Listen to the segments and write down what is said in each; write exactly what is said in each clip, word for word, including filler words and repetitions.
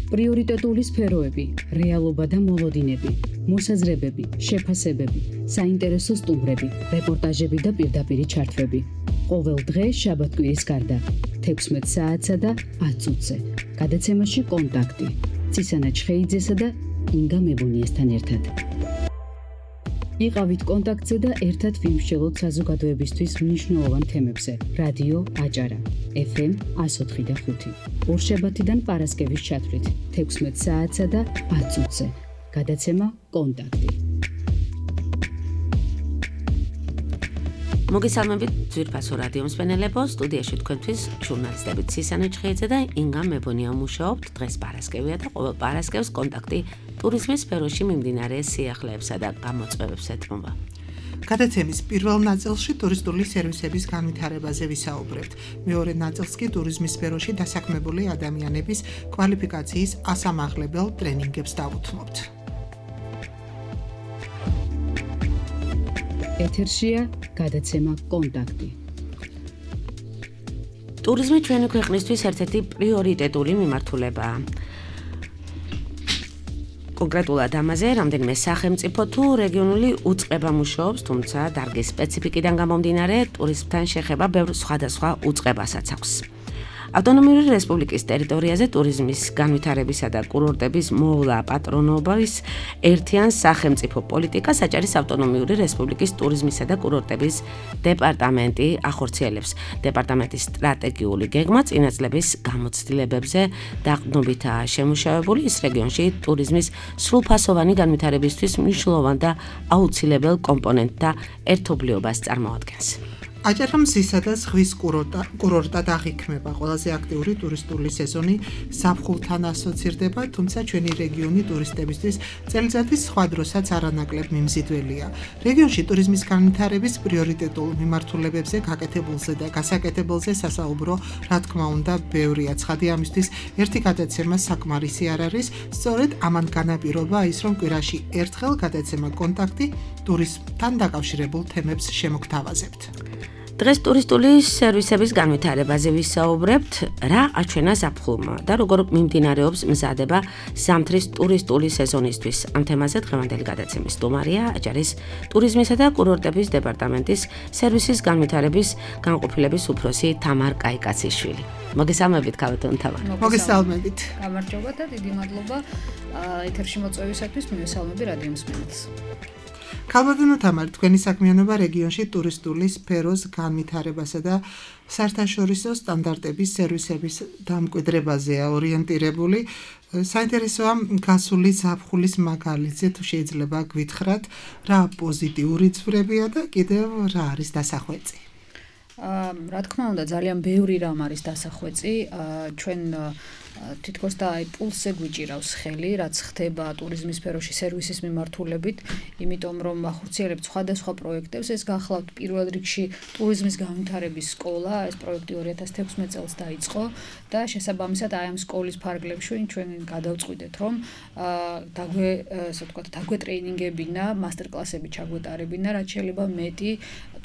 პრიორიტეტული სფეროები, რეალობა და მოლოდინები, მოსაზრებები, შეფასებები, საინტერესო სტუმრები, რეპორტაჟები და პირდაპირი ჩართვები. ყოველ დღე შაბათ-კვირის გარდა, თექვსმეტ საათსა და ათ წუთზე. გადაცემაში კონტაქტი. ცისანა ჩხეიძესა და ინგა მებუნიესთან ერთად. იყავით კონტაქტზე და ერთად ვიმსჯელოთ საზოგადოებისთვის მნიშვნელოვან თემებზე. რადიო აჭარა, ეფ ემ εκατო ოთხი და ხუთი. ორშაბათიდან პარასკევის ჩათვლით, თექვსმეტ საათსა და ათ წუთზე. გადაცემა კონტაქტი. მოგესალმებით ძვირფასო რადიო მსმენელებო, სტუდიაში თქვენთვის ჟურნალისტები ცისანა ჩხეიძე და ინგა მებონია მუშაობთ. დღეს პარასკევია და ყოველ პარასკევს კონტაქტი ტურიზმის სფეროში მიმდინარე სიახლეებსა და გამოწვევებს ეთმობა. გადაცემის პირველ ნაწილში ტურისტული სერვისების განვითარებაზე ვისაუბრებთ. მეორე ნაწილს კი ტურიზმის სფეროში დასაქმებული ადამიანების კვალიფიკაციის ასამაღლებელ ტრენინგებს დავუთმობთ. ეთერშია გადაცემა კონტაქტი. ტურიზმი ჩვენი ქვეყნისთვის ერთ-ერთი პრიორიტეტული მიმართულებაა. კონკრეტულად ამაზე რამდენიმე სახელმწიფო თუ რეგიონული უწყება მუშაობს, თუმცა დარგის სპეციფიკიდან გამომდინარე, ტურიზმთან შეხება ბევრ სხვადასხვა უწყებასაც აქვს. ავტონომიური რესპუბლიკის ტერიტორიაზე ტურიზმის განვითარებისა და კურორტების მოვლა პატრონობის ერთიან სახელმწიფო პოლიტიკას აჭარის ავტონომიური რესპუბლიკის ტურიზმისა და კურორტების დეპარტამენტი ახორციელებს. დეპარტამენტის სტრატეგიული გეგმა წინა წლების გამოცდილებებზე დაყრდნობითაა შემუშავებული, ის რეგიონში ტურიზმის სრულფასოვანი განვითარებისთვის მნიშვნელოვან და აუცილებელ კომპონენტთა ერთობლიობას წარმოადგენს. აჭარა მზისა და ზღვის კურორტად აღიქმება. ყველაზე აქტიური ტურისტული სეზონი ზაფხულთან ასოცირდება, თუმცა ჩვენი რეგიონი ტურისტებისთვის წელიწადის სხვა დროსაც არანაკლებ მიმზიდველია. რეგიონში ტურიზმის განვითარების პრიორიტეტულ მიმართულებებზე გაკეთებულზე და გასაკეთებელზე სასაუბრო, რა თქმა უნდა, ბევრია. ცხადი ამისთვის ერთი გადაცემა საკმარისი არ არის. სწორედ ამან განაპირობა ის, რომ კვირაში ერთხელ გადაცემა კონტაქტი ტურიზმთან დაკავშირებულ თემებს შემოგთავაზებთ. დღეს ტურისტული სერვისების განვითარებაზე ვისაუბრებთ, რა აჩვენა ზაფხულმა და როგორ მიმდინარეობს მზადება ზამთრის ტურისტული სეზონისთვის. ამ თემაზე დღევანდელი გადაცემის სტუმარია აჭარის ტურიზმისა და კურორტების დეპარტამენტის სერვისის განვითარების განყოფილების უფროსი თამარ კაიკაციშვილი. მოგესალმებით, ქალბატონო თამარ. მოგესალმებით. გამარჯობა და დიდი მადლობა ეთერში მოწვევისათვის. მივესალმები რადიო მსმენელს. ქალბატონო თამარ, თქვენი საქმიანობა რეგიონში ტურისტული სფეროს განვითარებასა და საერთაშორისო სტანდარტების სერვისების დამკვიდრებაზეა ორიენტირებული. საინტერესოა გასული ზაფხულის მაგალითზე, თუ შეიძლება გვითხრათ, რა პოზიტიური ცვლებია და კიდევ რა არის დასახვეწი? რა თქმა უნდა, ძალიან ბევრი რამ არის დასახვეწი. ჩვენ თითქოს და აი პულსზე გვიჭირავს ხელი, რაც ხდება ტურიზმის სფეროში სერვისის მიმართულებით, იმიტომ რომ ახორციელებთ სხვადასხვა პროექტებს. ეს გახლავთ პირველ რიგში ტურიზმის განვითარების სკოლა, ეს პროექტი ორი ათას თექვსმეტ წელს დაიწყო და შესაბამისად აი ამ სკოლის ფარგლებში ჩვენ გადავწყვიტეთ, რომ დაგვე, ასე ვთქვათ, დაგვეტრეინინგებინა, მასტერკლასები ჩაგვეტარებინა, რაც შეიძლება მეტი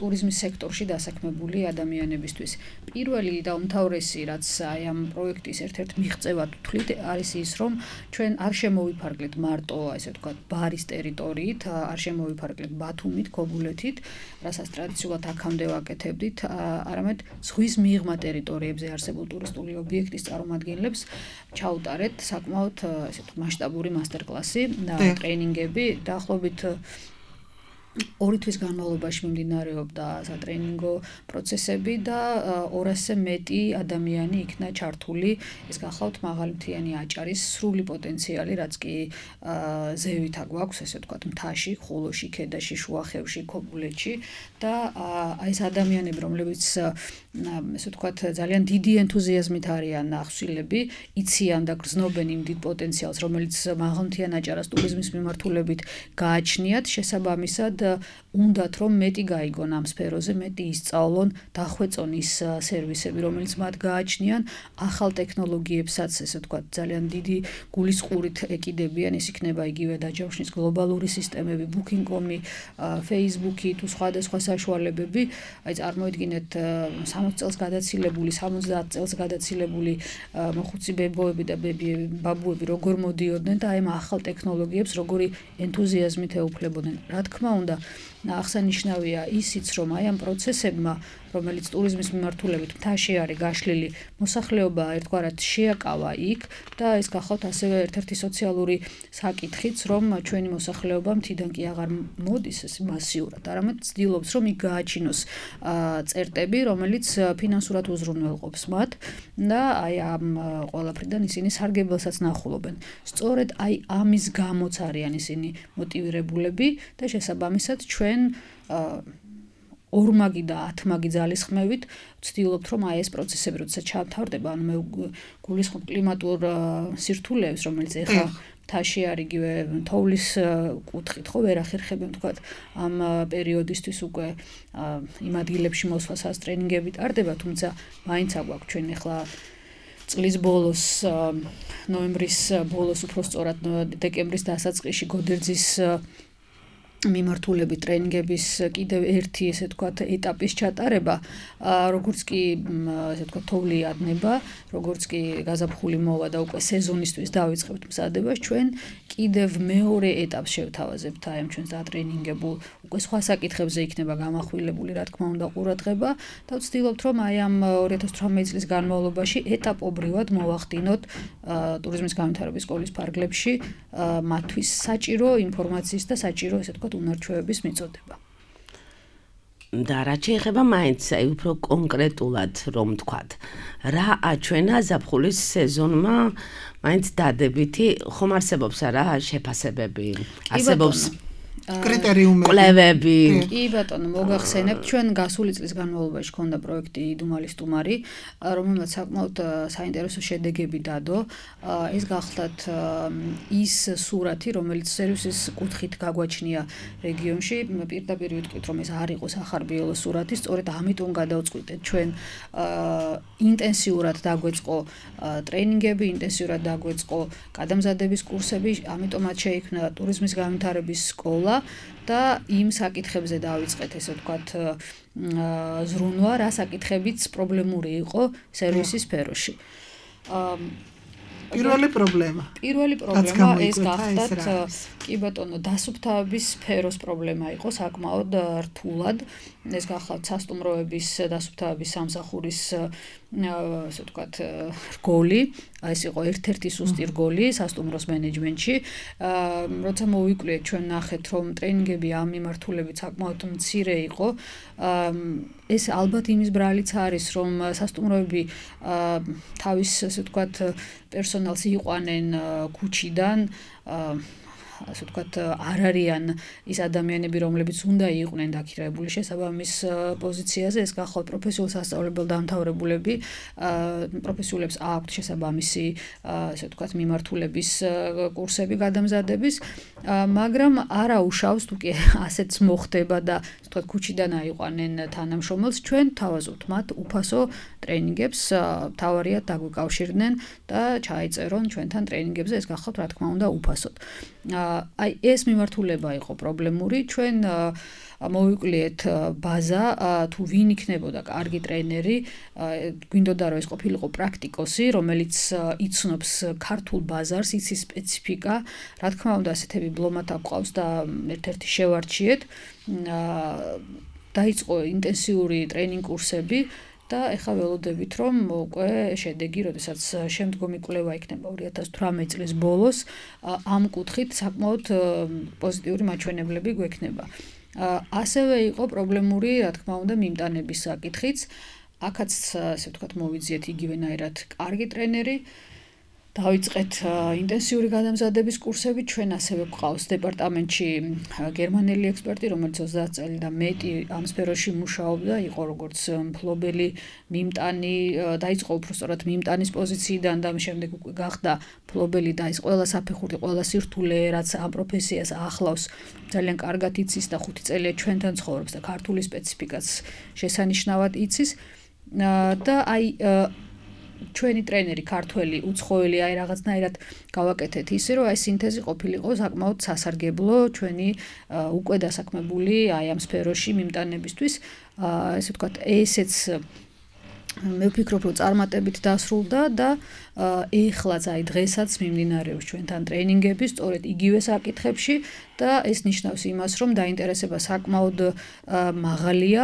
ტურიზმის სექტორში დასაქმებული ადამიანებისთვის. პირველი და უმთავრესი, რაც აი ამ პროექტის ერთ-ერთ მიღწევად ვთვლით, არის ის, რომ ჩვენ არ შემოვიფარგლეთ მარტო, ასე ვთქვათ, ბარის ტერიტორიით, არ შემოვიფარგლეთ ბათუმით, ქობულეთით, რასაც ტრადიციულად აქამდე ვაკეთებდით, არამედ ზღვის მიღმა ტერიტორიებზე არსებულ ტურისტული ობიექტის წარმომადგენლებს ჩაუტარეთ საკმაოდ ასე ვთქვათ მასშტაბური მასტერკლასი და ტრეინინგები. დაახლოებით ორი თვის განმავლობაში მიმდინარეობდა სატრეინინგო პროცესები და ორასზე მეტი ადამიანი იქნა ჩართული. ეს გახლავთ მაღალმთიანი აჭარის სრული პოტენციალი, რაც კი ზევით აგვაქვს, ესე ვთქვათ, მთაში, ხულოში, ქედაში, შუახევში, ქობულეთში და აი ეს ადამიანები, რომლებიც ესე ვთქვათ, ძალიან დიდი ენთუზიაზმით არიან ახსილები, იციან და გრძნობენ იმ დიდ პოტენციალს, რომელიც მაღალმთიან აჭარას ტურიზმის მიმართულებით გააჩნიათ, შესაბამისად უნდათ რომ მეტი გაიგონ ამ სფეროზე, მეტი ისწავლონ, დახვეწონ ის სერვისები, რომელიც მათ გააჩნიან, ახალ ტექნოლოგიებსაც, ესე ვთქვათ, ძალიან დიდი გულისყურით ეკიდებიან, ის იქნება იგივე დაჯავშნის გლობალური სისტემები, booking dot com-ი, Facebook-ი თუ სხვადასხვა საშუალებები, აი წარმოიდგინეთ სამოცი წელს გადაცილებული, სამოცდაათ წელს გადაცილებული მოხუცი ბებოები და ბაბუები როგორ მოდიოდნენ და აი ამ ახალ ტექნოლოგიებს როგორი ენთუზიაზმით ეუფლებოდნენ. რა თქმა უნდა, აღსანიშნავია ისიც, რომ აი ამ პროცესებმა, რომელიც ტურიზმის მიმართულებით მთაში არის გაშლილი, მოსახლეობა ერთგვარად შეაკავა იქ და ეს გახავთ ასევე ერთ-ერთი სოციალური საკითხიც, რომ ჩვენი მოსახლეობა მთიდან კი აღარ მოდის ეს მასიურად, არამედ ცდილობს, რომ იქ გააჩინოს წერტები, რომელიც ფინანსურად უზრუნველყოფს მათ და აი ამ ყველაფრიდან ისინი სარგებელსაც ნახულობენ. სწორედ აი ამის გამოც არიან ისინი მოტივირებულები და შესაბამისად ჩვენ ორმაგი და ათმაგი ძალისხმევით ვცდილობთ, რომ აი ეს პროცესები როდესაც ჩავთავრდება, ანუ მე გულისხმობ კლიმატურ სირთულეებს, რომელიც ეხლა მთაში არის იგივე თოვლის კუთხით, ხო ვერ ახერხებენ თქვათ ამ პერიოდისთვის უკვე იმ ადგილებში მოსვლასაც ტრენინგები ტარდება, თუმცა მაინც აგვაქვს ჩვენ ეხლა წლის ბოლოს, ნოემბრის ბოლოს, უფრო სწორად დეკემბრის დასაწყისში გოდერძის მიმართულებით ტრენინგების კიდევ ერთი ესე ვთქვათ ეტაპის ჩატარება, როგორც კი ესე ვთქვათ თოვლი ადნება, როგორც კი გაზაფხული მოვა და უკვე სეზონისთვის დავიწყებთ მზადებას, ჩვენ კიდევ მეორე ეტაპს შევთავაზებთ აი ამ ჩვენს დატრენინგებულ, უკვე სხვა საკითხებზე იქნება გამახვილებული, რა თქმა უნდა, ყურადღება და ვცდილობთ, რომ აი ამ ორი ათას თვრამეტი წლის განმავლობაში ეტაპობრივად მოვახდინოთ ტურიზმის განვითარების სკოლის ფარგლებში მათთვის საჭირო ინფორმაციის და საჭირო ესე ვთქვათ უნარჩვევების მიწოდება. და რა შეეხება მაინც აი უფრო კონკრეტულად რომ ვთქვათ, რა აჩვენა ზაფხულის სეზონმა მაინც დადებითი, ხომ არსებობს რა შეფასებები, არსებობს კრიტერიუმები, კვლევები. კი ბატონო, მოგახსენებთ, ჩვენ გასული წლის განმავლობაში ჰქონდა პროექტი იდუმალი სტუმარი, რომელმაც საკმაოდ საინტერესო შედეგები დადო. ეს გახლდათ ის სურათი, რომელიც სერვისის კუთხით გაგვაჩნია რეგიონში, პირდაპირ ვიტყვით, რომ ეს არ იყო სახარბიელო სურათი, სწორედ ამიტომ გადავწყვიტეთ ჩვენ ინტენსიურად დაგვეწყო ტრენინგები, ინტენსიურად დაგვეწყო გადამზადების კურსები, ამიტომაც შეიქმნა ტურიზმის განვითარების სკოლა და იმ საკითხებზე დავიწყეთ, ესე ვთქვათ, ზრუნვა, რა საკითხებიც პრობლემური იყო სერვისის სფეროში. პირველი პრობლემა. პირველი პრობლემა ეს გახდათ, კი ბატონო, დასუფთავების სფეროს პრობლემა იყო საკმაოდ რთულად. ეს გახლავთ სასტუმროების დასუფთავების სამსახურის ასე ვთქვათ რგოლი, ეს იყო ერთ-ერთი სუსტი რგოლი სასტუმროს მენეჯმენტში. როცა მოვიკვლიეთ, ჩვენ ნახეთ, რომ ტრენინგები ამ მიმართულებით საკმაოდ მცირე იყო. ეს ალბათ იმის ბრალიც არის, რომ სასტუმროები თავის ასე ვთქვათ პერსონალს იყვანენ ქუჩიდან, ასე ვთქვათ, არ არიან ის ადამიანები, რომლებიც უნდა იყვნენ დაქირავებული შესაბამის პოზიციაზე, ეს გახლავთ პროფესიულ სასწავლებელ დამთავრებულები, პროფესიულებს აქვთ შესაბამისი, ასე ვთქვათ, მიმართულების კურსები გადამზადების, მაგრამ არა უშავს, თუ კი ასეც მოხდება და ასე ვთქვათ, ქუჩიდან აიყვანენ თანამშრომელს, ჩვენ თავაზობთ მათ უფასო ტრენინგებს, თავარიად დაგვიკავშირდნენ და ჩაიწერონ ჩვენთან ტრენინგებზე, ეს გახლავთ, რა თქმა უნდა, უფასოდ. აი ეს მიმართულება იყო პრობლემური, ჩვენ მოვიკვლიეთ ბაზა, თუ ვინ იქნებოდა კარგი ტრენერი, გვინდოდა რომ ეს ყოფილიყო პრაქტიკოსი, რომელიც იცნობს ქართულ ბაზარს, იცის სპეციფიკა, რა თქმა უნდა, ასეთები ბლომად აყვავს და ერთ-ერთი შევარჩიეთ. დაიწყო ინტენსიური ტრენინგ კურსები და ეხლა ველოდებით, რომ უკვე შედეგი, როდესაც შემდგომი კვლევა იქნება ორი ათას თვრამეტი წლის ბოლოს, ამ კუთხით საკმაოდ პოზიტიური მაჩვენებლები გვექნება. ასევე იყო პრობლემური, რა თქმა უნდა, მიმტანების საკითხიც. აქაც, ასე ვთქვათ, მოვიძიეთ იგივენაირად კარგი ტრენერი. დავიწყეთ ინტენსიური გადამზადების კურსები. ჩვენ ასევე გვყავს დეპარტამენტში გერმანელი ექსპერტი, რომელიც ოცდაათ წელი და მეტი ამ სფეროში მუშაობდა, იყო როგორც მფლობელი მიმტანი, დაიწყო უფრო სწორად მიმტანის პოზიციიდან და შემდეგ უკვე გახდა მფლობელი და ის ყველა საფეხური, ყველა სირთულე, რაც ამ პროფესიას ახლავს, ძალიან კარგად იცის და ხუთი წელია ჩვენთან ცხოვრობს და ქართული სპეციფიკაც შესანიშნავად იცის და აი ჩვენი ტრენერი ქართველი უცხოელი აი რაღაცნაირად გავაკეთეთ ისე რომ აი სინთეზი ყოფილიყო საკმაოდ სასარგებლო ჩვენი უკვე დასაქმებული აი ამ სფეროში მიმტანებისთვის ესე ვთქვათ ესეც მე ვფიქრობ რომ წარმატებით დასრულდა და ეხლაც აი დღესაც მიმდინარეობს ჩვენთან ტრენინგები სწორედ იგივე საკითხებში და ეს ნიშნავს იმას რომ დაინტერესება საკმაოდ მაღალია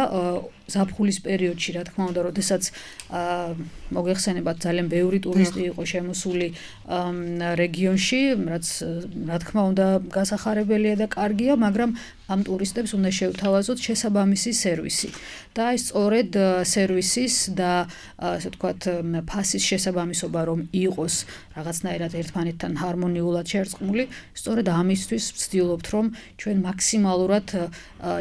ზაფხულის პერიოდში რა თქმა უნდა როდესაც მოგეხსენებათ ძალიან ბევრი ტურისტი იყო შემოსული რეგიონში რაც რა თქმა უნდა გასახარებელია და კარგია მაგრამ ამ ტურისტებს უნდა შევთავაზოთ შესაბამისი სერვისი და აი სწორედ სერვისის და ასე ვთქვათ ფასის შესაბამისობა რომ იყოს რაღაცნაირად ერთმანეთთან ჰარმონიულად შერწყმული სწორედ ამისთვის ვცდილობთ რომ ჩვენ მაქსიმალურად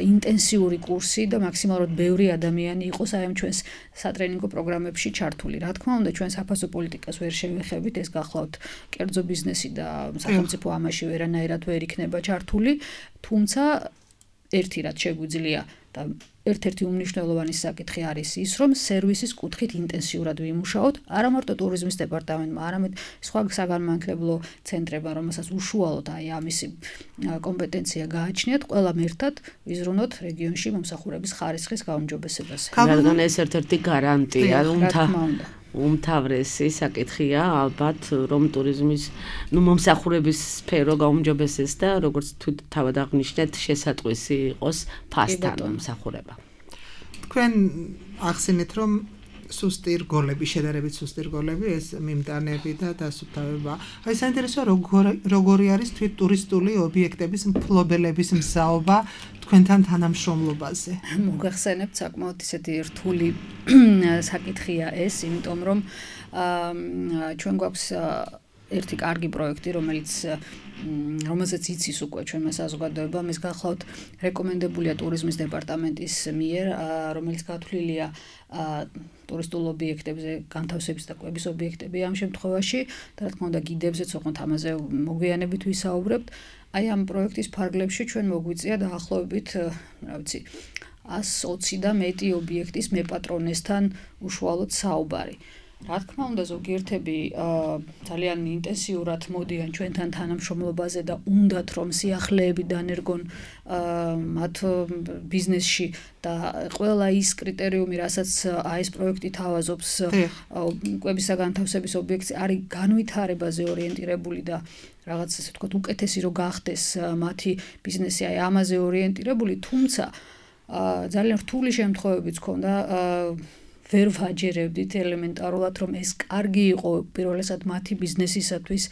ინტენსიური კურსი და მაქსიმალურად ბევრი ადამიანი იყოს აი ამ ჩვენს სატრენინგო პროგრამებში ჩართული. რა თქმა უნდა, ჩვენ საფასო პოლიტიკას ვერ შევეხებით, ეს გახლავთ კერძო ბიზნესი და სახელმწიფო ამაში ვერანაირად ვერ იქნება ჩართული, თუმცა ერთი რაც შეგვიძლია და ერთ-ერთი უმნიშვნელოვანესი საკითხი არის ის, რომ სერვისის კუთხით ინტენსიურად ვიმუშაოთ, არა მარტო ტურიზმის დეპარტამენტმა, არამედ სხვა საგანმანათლებლო ცენტრებმა, რომელსაც უშუალოდ აი ამისი კომპეტენცია გააჩნიათ, ყველამ ერთად ვიზრუნოთ რეგიონში მომსახურების ხარისხის გაუმჯობესებას. რადგან ეს ერთ-ერთი გარანტია, უმთავრესი საკითხია ალბათ რომ ტურიზმის ნუ მომსახურების სფერო გაუმჯობესდეს და როგორც თავად აღნიშნეთ შესატყვისი იყოს ფასთან მომსახურება. თქვენ ახსენეთ რომ სუსტი რგოლები, შედარებით სუსტი რგოლები, ეს მიმტანები და დასუფთავება. აი საინტერესოა როგორი არის თვით ტურისტული ობიექტების მფლობელების მსაობა თქვენთან თანამშრომლობაზე. მოგახსენებთ საკმაოდ ისეთი რთული საკითხია ეს, იმიტომ რომ ჩვენ გვაქვს ერთი კარგი პროექტი, რომელიც რომელზეც იცის უკვე ჩვენმა საზოგადოებამ, ეს გახლავთ რეკომენდებულია ტურიზმის დეპარტამენტის მიერ, რომელიც გათვლილია ტურისტულ ობიექტებზე, განთავსების და კვების ობიექტები ამ შემთხვევაში და რა თქმა უნდა გიდებზეც ოღონდ ამაზე მოგვიანებით ვისაუბრებთ. აი ამ პროექტის ფარგლებში ჩვენ მოგვიწია დაახლოებით, რა ვიცი, ას ოცი და მეტი ობიექტის მეპატრონესთან უშუალოდ საუბარი. რა თქმა უნდა ზოგიერთები ძალიან ინტენსიურად მოდიან ჩვენთან თანამშრომლობაზე და უნდათ რომ სიახლეები დანერგონ მათ ბიზნესში და ყველა ის კრიტერიუმი, რასაც აი ეს პროექტი თავაზობს კვების განთავსების ობიექტი არის განვითარებაზე ორიენტირებული და რაღაც ასე ვთქვათ უკეთესი რო გახდეს მათი ბიზნესი აი ამაზე ორიენტირებული, თუმცა ძალიან რთული შემთხვევებიც ქონდა ვერ ვაჯერებდით ელემენტარულად რომ ეს კარგი იყო პირველესად მათი ბიზნესისათვის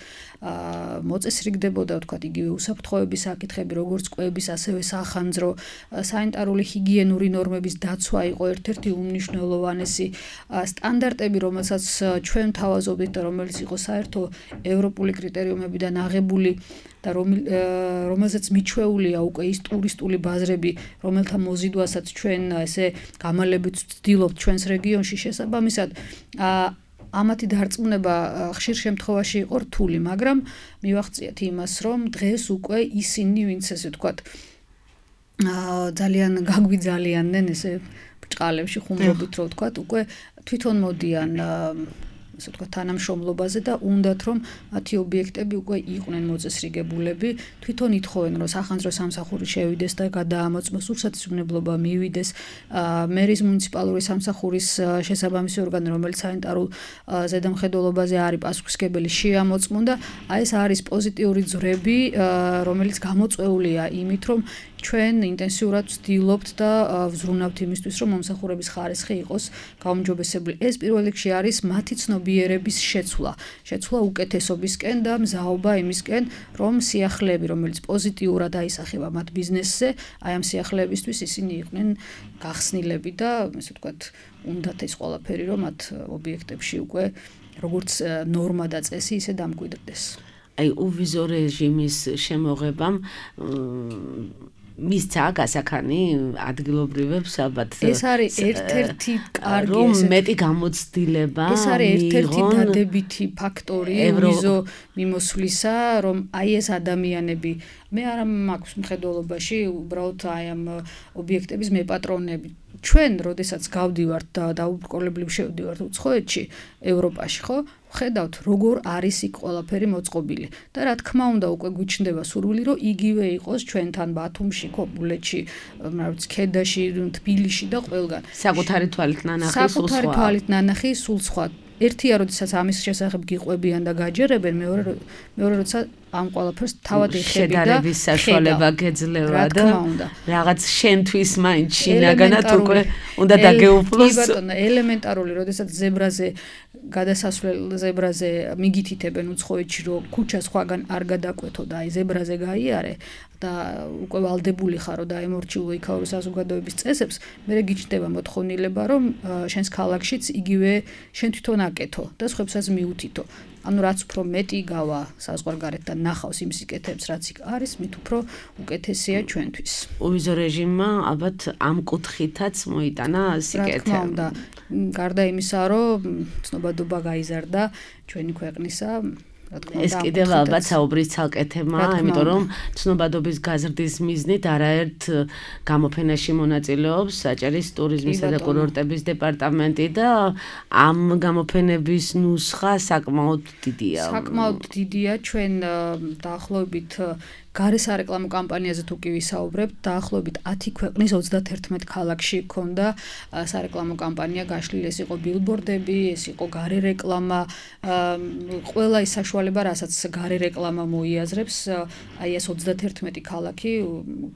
მოწესრიგდებოდა ვთქვათ იგივე უსაფრთხოების საკითხები როგორც კვების ასევე სახანძრო სანიტარული ჰიგიენური ნორმების დაცვა იყო ერთ-ერთი უმნიშვნელოვანესი სტანდარტები რომელსაც ჩვენ თავაზობდით და რომელიც იყო საერთო ევროპული კრიტერიუმებიდან აღებული და რომელზეც მიჩვეულია უკვე ის ტურისტული ბაზრები რომელთა მოზიდვასაც ჩვენ ესე გამალებით ვცდილობთ ჩვენს რეგიონში შესაბამისად ამათი დარწმუნება ხშირ შემთხვევაში იყო რთული, მაგრამ მივახციეთ იმას, რომ დღეს უკვე ისინი, ვინც ესე ვთქვათ, ძალიან გაგვიძალიანდნენ ესე ბჭყალებში ხუმრობით რო ვთქვათ, უკვე თვითონ მოდიან ასე ვთქვათ თანამშრომლობაზე და უნდათ რომ მათი ობიექტები უკვე იყვნენ მოწესრიგებულები, თვითონ ითხოვენ რომ სახანძრო სამსახური შევიდეს და გადაამოწმოს, სურსათისმგებლობა მივიდეს, მერის მუნიციპალური სამსახურის შესაბამისი ორგანო, რომელიც სანიტარულ ზედამხედველობაზე არის პასუხისმგებელი, შეამოწმონ და აი ეს არის პოზიტიური ძვრები, რომელიც გამოწვეულია იმით, რომ ჩვენ ინტენსიურად ვცდილობთ და ვზრუნავთ იმისთვის, რომ მომსახურების ხარისხი იყოს გაუმჯობესებული. ეს პირველ რიგში არის მათი ცნობიერების შეცვლა, შეცვლა უკეთესობისკენ და მზაობა იმისკენ, რომ სიახლეები, რომელიც პოზიტიურად აისახება მათ ბიზნესზე, აი ამ სიახლეებისთვის ისინი იყვნენ გახსნილები და ესე ვთქვათ, უნდათ ეს ყველაფერი, რომ მათ ობიექტებში უკვე როგორც ნორმა და წესი ისე დამკვიდრდეს. აი უვიზო რეჟიმის შემოღებამ მისცა გასახანი ადგილობრივებს ალბათ ეს არის ერთ-ერთი კარგი რომ მეტი გამოცდილება ეს არის ერთ-ერთი დადებითი ფაქტორი უვიზო მიმოსვლისა, რომ აი ეს ადამიანები მე არ მაქვს მხედველობაში უბრალოდ აი ამ ობიექტების მეპატრონები. ჩვენ, როდესაც გავდივართ და დაუბრკოლებლივ შევდივართ უცხოეთში, ევროპაში, ხო? ხედავთ, როგორ არის იქ ყველაფერი მოწყობილი და რა თქმა უნდა, უკვე გვიჩნდება სურვილი, რომ იგივე იყოს ჩვენთან ბათუმში, ქობულეთში, რა ვიცი, ქედაში, თბილისში და ყველგან. საკუთარი თვალით ნანახი, სულ სხვა. საკუთარი თვალით ნანახი, სულ სხვა. ერთია, როდესაც ამის შესახებ გიყვებიან და გაჯერებენ, მეორე მეორე როცა ამ ყველაფერს თავად ეხები და შედარების საშუალება გეძლევა და რაღაც შენთვის მაინც შინაგანად უკვე უნდა დაგეუფლოს. კი ბატონო, ელემენტარული, როდესაც ზებრაზე გადასასვლელ ზებრაზე მიგითითებენ უცხოეთში, რომ ქუჩა სხვაგან არ გადაკვეთო და აი ზებრაზე გაიარე და უკვე ვალდებული ხარო და ემორჩილო იქაური საზოგადოების წესებს, მე გიჩნდება მოთხოვნილება, რომ შენს ქალაქშიც იგივე შენ თვითონ აკეთო და სხვებსაც მიუთითო. ანუ რაც უფრო მეტი გავა საზღვარგარეთ და ნახავს იმ სიკეთეებს, რაც იქ არის, მით უფრო უკეთესია ჩვენთვის. უვიზო რეჟიმმა ალბათ ამ კუთხითაც მოიტანა სიკეთე. რა თქმა უნდა, გარდა იმისა, რომ ცნობადობა გაიზარდა ჩვენი ქვეყნისა, ეს კიდევ ალბათ საუბრის ცალკე თემაა, იმიტომ რომ ცნობადობის გაზრდის მიზნით არაერთ გამოფენაში მონაწილეობს საჭერის ტურიზმისა და კურორტების დეპარტამენტი და ამ გამოფენების ნუსხა საკმაოდ დიდია. საკმაოდ დიდია, ჩვენ დაახლოებით გარე სარეკლამო კამპანიაზე თუ კი ვისაუბრებთ, დაახლოებით ათი ქვეყნის ოცდაათერთმეტ ქალაქში ჰქონდა სარეკლამო კამპანია გაშლილი, ეს იყო ბილბორდები, ეს იყო გარე რეკლამა, ყველა ის საშუალება, რასაც გარე რეკლამა მოიაზრებს, აი ეს ოცდაათერთმეტი ქალაქი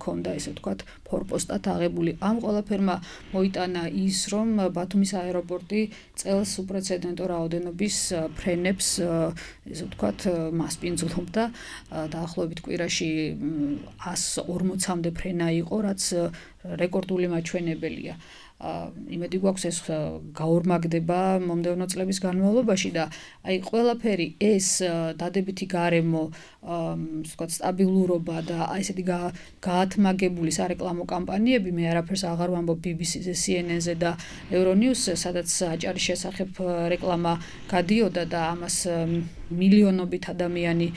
ჰქონდა, ესე ვთქვათ, ფორპოსტად აღებული. ამ ყველაფერმა მოიტანა ის, რომ ბათუმის აეროპორტი წელს უპრეცედენტო რაოდენობის ფრენებს, ესე ვთქვათ, მასპინძლობდა დაახლოებით კვირაში ას ორმოცამდე ფრენა იყო, რაც რეკორდული მაჩვენებელია. იმედი გვაქვს ეს გაორმაგდება მომდევნო წლების განმავლობაში და აი ყველაფერი ეს დადებითი გარემო, ვთქვათ, სტაბილურობა და აი ესეთი გაათმაგებული სარეკლამო კამპანიები, მე არაფერს აღარ ვამბობ ბი ბი სი-ზე, სი ენ ენ-ზე და ევრონიუსზე, სადაც აჭარის შესახებ რეკლამა გადიოდა და ამას მილიონობით ადამიანი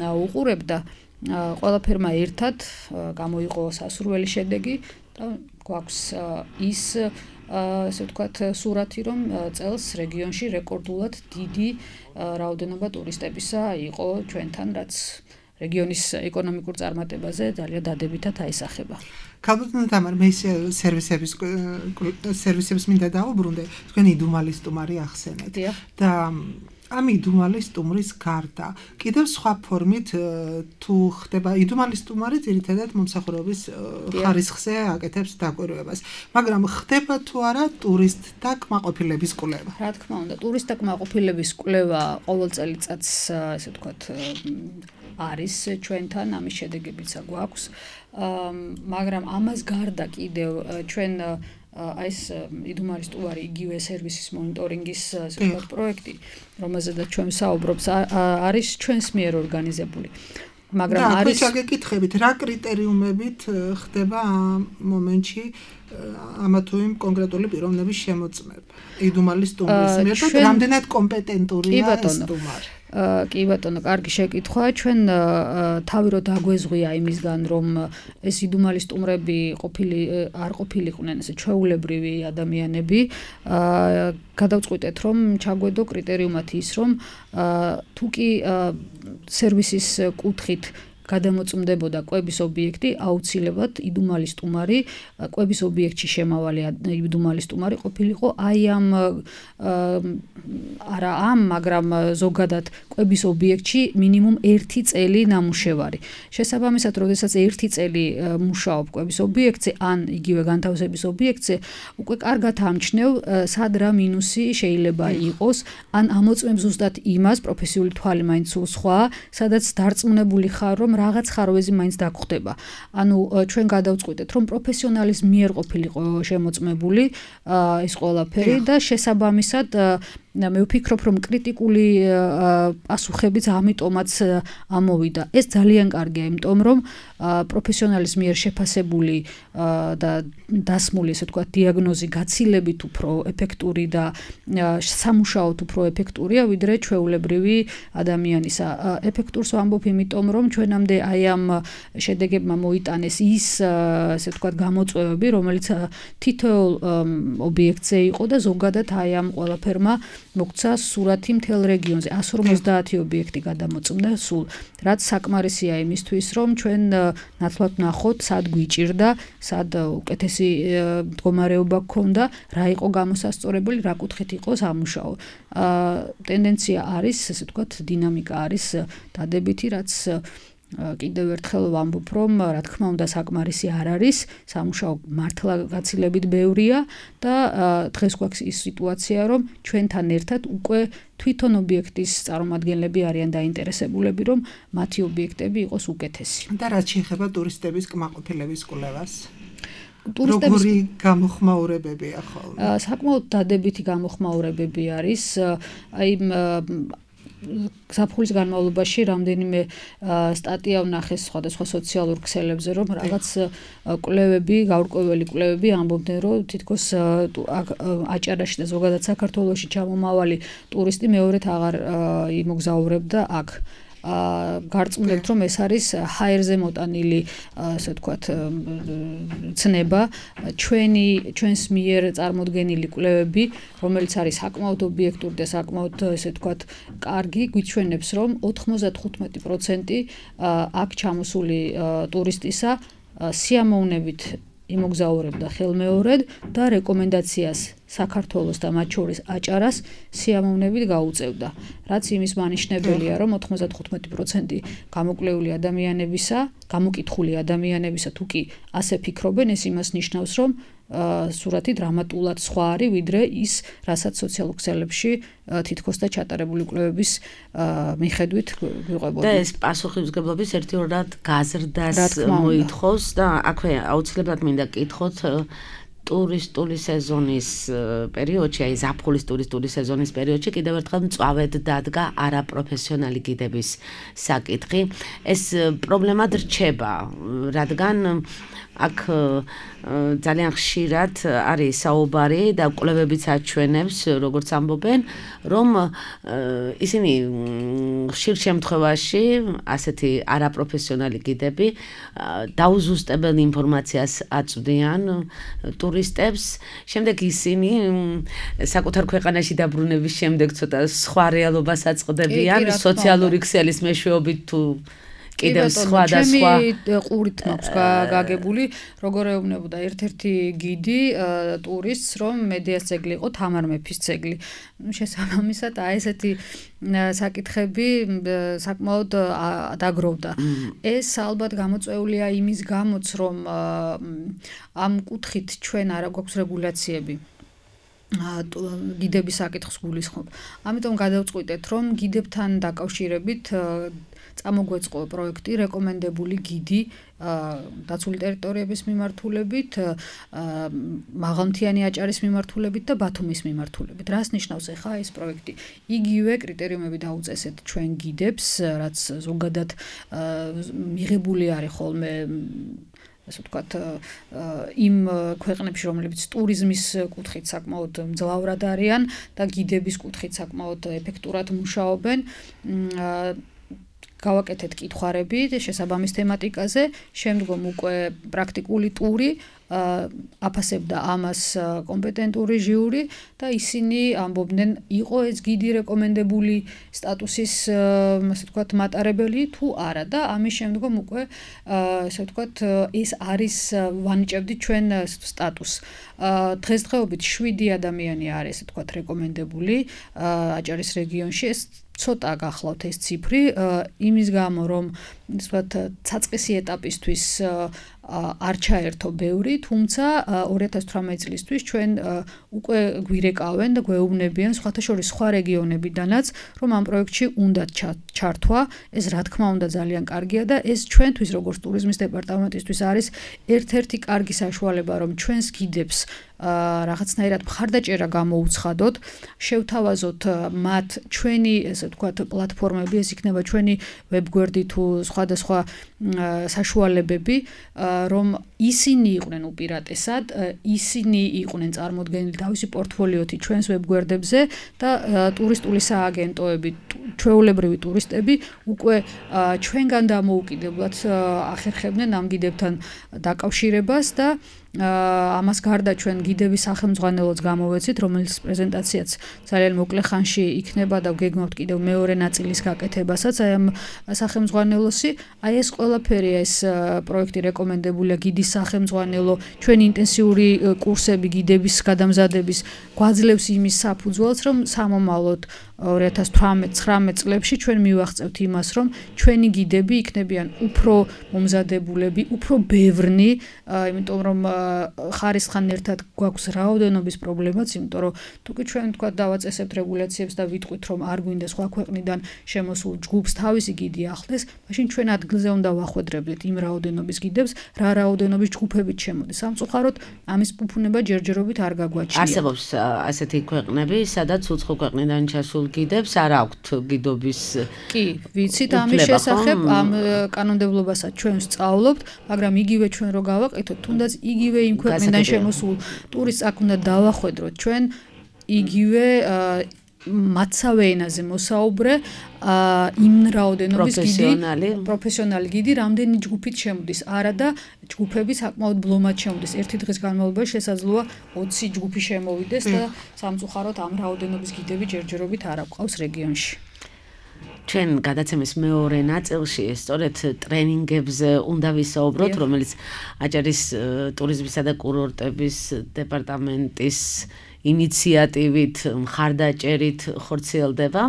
უყურებდა. ყველაფერმა ერთად გამოიყო სასურველი შედეგი და გვაქვს ის ესე ვთქვათ სურათი, რომ წელს რეგიონში რეკორდულად დიდი რაოდენობა ტურისტებისა იყო ჩვენთან, რაც რეგიონის ეკონომიკურ წარმატებაზე ძალიან დადებითად აისახება. ქალბატონო თამარ, მე სერვისების სერვისებს მინდა დავუბრუნდე, თქვენი იდუმალი სტუმარი ახსენეთ და ამ იდუმალი სტუმრის გარდა კიდევ სხვა ფორმით თუ ხდება იდუმალი სტუმარი ძირითადად მომსახურების ხარისხზე აკეთებს დაკვირვებას, მაგრამ ხდება თუ არა ტურისტთა კმაყოფილების კვლევა? რა თქმა უნდა, ტურისტთა კმაყოფილების კვლევა ყოველ წელიწადს, ესე ვთქვათ, არის ჩვენთან, ამის შედეგებიც გვაქვს, მაგრამ ამას გარდა კიდევ ჩვენ აი ეს იდუმალი სტუმარი იგივე სერვისის მონიტორინგის საკუთარ პროექტი, რომელზედაც ჩვენ ვსაუბრობთ, არის ჩვენს მიერ ორგანიზებული. მაგრამ არის და გეკითხებით, რა კრიტერიუმებით ხდება ამ მომენტში ამა თუ იმ კონკრეტული პიროვნების შემოწმება იდუმალი სტუმრის მიერ და რამდენად კომპეტენტურია ეს სტუმარი? კი ბატონო, კარგი შეკითხვა. ჩვენ თავი რო დაგვეზღვია იმისგან, რომ ეს იდუმალი სტუმრები ყოფილი არ ყოფილიყვნენ ესე ჩვეულებრივი ადამიანები, გადავწყვიტეთ, რომ ჩაგვედო კრიტერიუმად ის, რომ თუ კი სერვისის კუთხით გადამოწმდებოდა კვების ობიექტი, აუცილებლად იდუმალი სტუმარი, კვების ობიექტში შემავალი იდუმალი სტუმარი ყოფილიყო აი ამ არა ამ, მაგრამ ზოგადად კვების ობიექტში მინიმუმ ერთი წელი ნამუშევარი. შესაბამისად, როდესაც ერთი წელი მუშაობ კვების ობიექტზე, ან იგივე განთავსების ობიექტზე, უკვე კარგად ამჩნევ, სად რა მინუსი შეიძლება იყოს, ან ამოწმებ ზუსტად იმას, პროფესიული თვალი მაინც სულ სხვაა, სადაც დარწმუნებული ხარ, რომ რაღაც ხარვეზი მაინც დაგხვდება. ანუ ჩვენ გადავწყვიტეთ, რომ პროფესიონალის მიერ ყოფილიყო შემოწმებული ეს ყველაფერი და შესაბამისად მე ვფიქრობ, რომ კრიტიკული პასუხებიც ამიტომაც ამოვიდა. ეს ძალიან კარგია, იმიტომ რომ პროფესიონალის მიერ შეფასებული და დასმული, ესე ვთქვათ, დიაგნოზი გაცილებით უფრო ეფექტური და სამუშაოდ უფრო ეფექტურია, ვიდრე ჩვეულებრივი ადამიანისა. ეფექტურს ვამბობ, იმიტომ რომ ჩვენამდე აი ამ შედეგებმა მოიტანეს ის, ესე ვთქვათ, გამოწვევები, რომელიც თითოეულ ობიექტზე იყო და ზოგადად აი ამ ყველაფერმა მოგცა სურათი მთელ რეგიონზე. εκατს ორმოცდაათი ობიექტი გადამოწმდა სულ, რაც საკმარისია იმისთვის, რომ ჩვენ ნაცვლად ვნახოთ, სად გვიჭირდა, სად უკეთესი მდგომარეობა გქონდა, რა იყო გამოსასწორებელი, რა კუთხით იყო სამუშაო. ტენდენცია არის, ესე ვთქვათ, დინამიკა არის დადებითი, რაც კიდევ ერთხელ ვამბობ, რომ რა თქმა უნდა საკმარისი არ არის, სამუშაო მართლა გაცილებით ბევრია და დღეს გვაქვს ის სიტუაცია, რომ ჩვენთან ერთად უკვე თვითონ ობიექტის წარმომადგენლები არიან დაინტერესებულები, რომ მათი ობიექტები იყოს უკეთესი. და რაც შეეხება ტურისტების კმაყოფილების კვლევას? როგორი გამოხმაურებებია ხოლმე? საკმაოდ დადებითი გამოხმაურებები არის. აი საფულის განმავლობაში რამდენიმე სტატია ვნახეს სხვადასხვა სოციალურ ქსელებზე, რომ რაღაც კვლევები, გაურკვეველი კვლევები ამბობდნენ, რომ თითქოს აჭარაში და ზოგადად საქართველოში ჩამომავალი ტურისტი მეორედ აღარ იმოგზაურებდა აქ. გარწმუნებთ, რომ ეს არის ჰაერზე მოტანილი, ასე ვთქვათ, ცნება, ჩვენი ჩვენს მიერ წარმოდგენილი კვლევები, რომელიც არის საკმაოდ ობიექტური და საკმაოდ, ესე ვთქვათ, კარგი, გვიჩვენებს, რომ ოთხმოცდათხუთმეტი პროცენტი აქ ჩამოსული ტურისტისა სიამოვნებით იმოგზაურებდა ხელმეორედ და რეკომენდაციას საქართველოს და მათ შორის აჭარას სიამოვნებით გაუწევდა. რაც იმის მანიშნებელია, რომ ოთხმოცდათხუთმეტი პროცენტი გამოკვლეული ადამიანებისა, გამოკითხული ადამიანებისა თუ კი ასე ფიქრობენ, ეს იმას ნიშნავს, რომ სურათი დრამატულად სხვა არის, ვიდრე ის, რასაც სოციალურ ქსელებში თითქოს და ჩატარებული კვლევების მიხედვით გვიყვებოდა. და ეს პასუხისმგებლობის ერთიორად გაზრდას მოითხოვს და აქვე აუცილებლად მინდა კითხოთ ტურისტული სეზონის პერიოდში, აი ზაფხულის ტურისტული სეზონის პერიოდში კიდევ ერთხელ მწვავედ დადგა არაპროფესიონალი გიდების საკითხი. ეს პრობლემად რჩება, რადგან აქ ძალიან ხშირად არის საუბარი და კვლევებიც აჩვენებს, როგორც ამბობენ, რომ ისინი ხშირ შემთხვევაში ასეთი არაპროფესიონალი გიდები დაუზუსტებელ ინფორმაციას აწვდიან ტურისტებს, შემდეგ ისინი საკუთარ ქვეყანაში დაბრუნების შემდეგ ცოტა სხვა რეალობას აწყდებიან, სოციალური ქსელის მეშვეობით თუ კიდევ სხვა და სხვა ყურით მაქვს გაგებული, როგორ ეუბნებოდა ერთ-ერთი გიდი ტურისტს, რომ მედიას ძეგლი იყო თამარ მეფის ძეგლი. შესაბამისად, აი ესეთი საკითხები საკმაოდ დაგროვდა. ეს ალბათ გამოწვეულია იმის გამოც, რომ ამ კუთხით ჩვენ არა გვაქვს რეგულაციები. გიდების საკითხს გულისხმობ. ამიტომ გადავწყვიტეთ, რომ გიდებთან დაკავშირებით წამოგვეწყო პროექტი რეკომენდებული გიდი დაცული ტერიტორიების მიმართულებით, მაღალმთიანი აჭარის მიმართულებით და ბათუმის მიმართულებით. რას ნიშნავს ახლა ეს პროექტი? იგივე კრიტერიუმები დაუწესეთ ჩვენ გიდებს, რაც ზოგადად მიღებული არის ხოლმე ასე ვთქვათ, იმ ქვეყნებში, რომლებიც ტურიზმის კუთხით საკმაოდ მძლავრად არიან და გიდების კუთხით საკმაოდ ეფექტურად მუშაობენ. გავაკეთეთ კითხვარები შესაბამის თემატიკაზე, შემდგომ უკვე პრაქტიკული ტური აფასებდა ამას კომპეტენტური ჟიური და ისინი ამბობდნენ, იყო ეს გიდი რეკომენდებული სტატუსის, ასე ვთქვათ, მატარებელი თუ არა და ამის შემდგომ უკვე, ასე ვთქვათ, ეს არის ვანიჭებდით ჩვენ სტატუსს. დღესდღეობით შვიდი ადამიანი არის, ასე ვთქვათ, რეკომენდებული აჭარის რეგიონში. ეს ცოტა გახლავთ ეს ციფრი, იმის გამო, რომ ვთქვათ, საწყისი ეტაპისთვის არ ჩაერთო ბევრი, თუმცა ორი ათას თვრამეტი წლისთვის ჩვენ უკვე გვირეკავენ და გვეუბნებიან სხვათა შორის სხვა რეგიონებიდანაც, რომ ამ პროექტში უნდა ჩართვა. ეს რა თქმა უნდა ძალიან კარგია და ეს ჩვენთვის როგორც ტურიზმის დეპარტამენტისთვის არის ერთ-ერთი კარგი საშუალება, რომ ჩვენს გიდებს რაღაცნაირად მხარდაჭერა გამოუცხადოთ, შევთავაზოთ მათ ჩვენი, ესე ვთქვათ, პლატფორმები, ეს იქნება ჩვენი ვებგვერდი თუ სხვადასხვა საშუალებები, რომ ისინი იყვნენ უპირატესად, ისინი იყვნენ წარმოდგენილი თავისი პორტფოლიოთი ჩვენს ვებგვერდებზე და ტურისტული სააგენტოები, ჩვეულებრივი ტურისტები უკვე ჩვენგან დამოუკიდებლად ახერხებდნენ ამ გიდებთან დაკავშირებას და ამას გარდა ჩვენ გიდების სახელმძღვანელოც გამოვეცით, რომელიც პრეზენტაციაც ძალიან მოკლე ხანში იქნება და გეგმავთ კიდევ მეორე ნაწილის გაკეთებასაც აი ამ სახელმძღვანელოსი. აი ეს ყველაფერი ეს პროექტი რეკომენდებულია გიდის სახელმძღვანელო, ჩვენი ინტენსიური კურსები გიდების გადამზადების გვაძლევს იმის საფუძველს, რომ სამომავლოდ ორი ათას თვრამეტ ცხრამეტ წლებში ჩვენ მივაღწევთ იმას, რომ ჩვენი გიდები იქნებიან უფრო მომზადებულები, უფრო ბევრნი, იმიტომ რომ ხარისხან ერთად გვაქვს რაოდენობის პრობლემაც, იმიტომ რომ თუკი ჩვენ თქვა დავაწესებთ რეგულაციებს და ვიტყვით, რომ არ გვინდა სხვა ქვეყნიდან შემოსულ ჯგუფს თავისი გიდი ახლდეს, მაშინ ჩვენ ადგილზე უნდა ვახვედრებდეთ იმ რაოდენობის გიდებს, რა რაოდენობის ჯგუფებით შემოდის. სამწუხაროდ ამის ფუფუნება ჯერჯერობით არ გაგვაჩნია. არსებობს ასეთი ქვეყნები, სადაც უცხო ქვეყნიდან ჩასულ გიდებს არ აქვთ გიდობის. კი, ვიცით ამის შესახებ, ამ კანონმდებლობასაც ჩვენ ვსწავლობთ, მაგრამ იგივე ჩვენ რო გავაკეთოთ, თუნდაც იგივე იმ ქვეყნიდან შემოსულ ტურისტს აქ უნდა დავახვედროთ ჩვენ იგივე მაცავე ენაზე მოსაუბრე იმ რაოდენობის გიდი, პროფესიონალი გიდი, რამდენი ჯგუფით შემოდის, არა და ჯგუფები საკმაოდ ბლომად შემოდის. ერთი დღის განმავლობაში შესაძლოა ოცი ჯგუფი შემოვიდეს და სამწუხაროდ ამ რაოდენობის გიდები ჯერჯერობით არ აყვავს რეგიონში. ჩვენ გადაცემის მეორე ნაწილში სწორედ ტრენინგებზე უნდა ვისაუბროთ, რომელიც აჭარის ტურიზმისა და კურორტების დეპარტამენტის ინიციატივით, მხარდაჭერით ხორციელდება.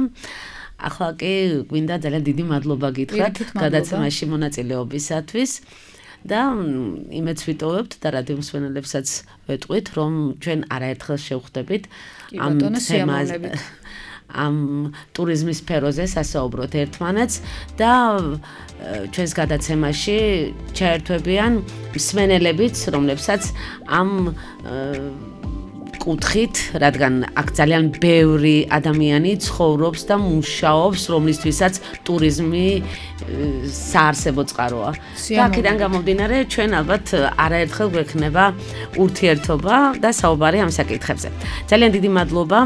ახლა კი გვინდა ძალიან დიდი მადლობა გითხრათ გადაცემაში მონაწილეობისათვის და იმედს ვიტოვებთ და რადიო მსმენელებსაც ვეტყვით, რომ ჩვენ არაერთხელ შევხვდებით ამ თემაზე. ამ ტურიზმის სფეროზე სასაუბროთ ერთმანეთს და ჩვენს გადაცემაში ჩაერთვებიან მსმენელებიც, რომლებსაც ამ კუთხით, რადგან აქ ძალიან ბევრი ადამიანი ცხოვრობს და მუშაობს, რომლისთვისაც ტურიზმი საარსებო წყაროა. და აქედან გამომდინარე, ჩვენ ალბათ არაერთხელ გვექნება ურთიერთობა და საუბარი ამ საკითხებზე. ძალიან დიდი მადლობა.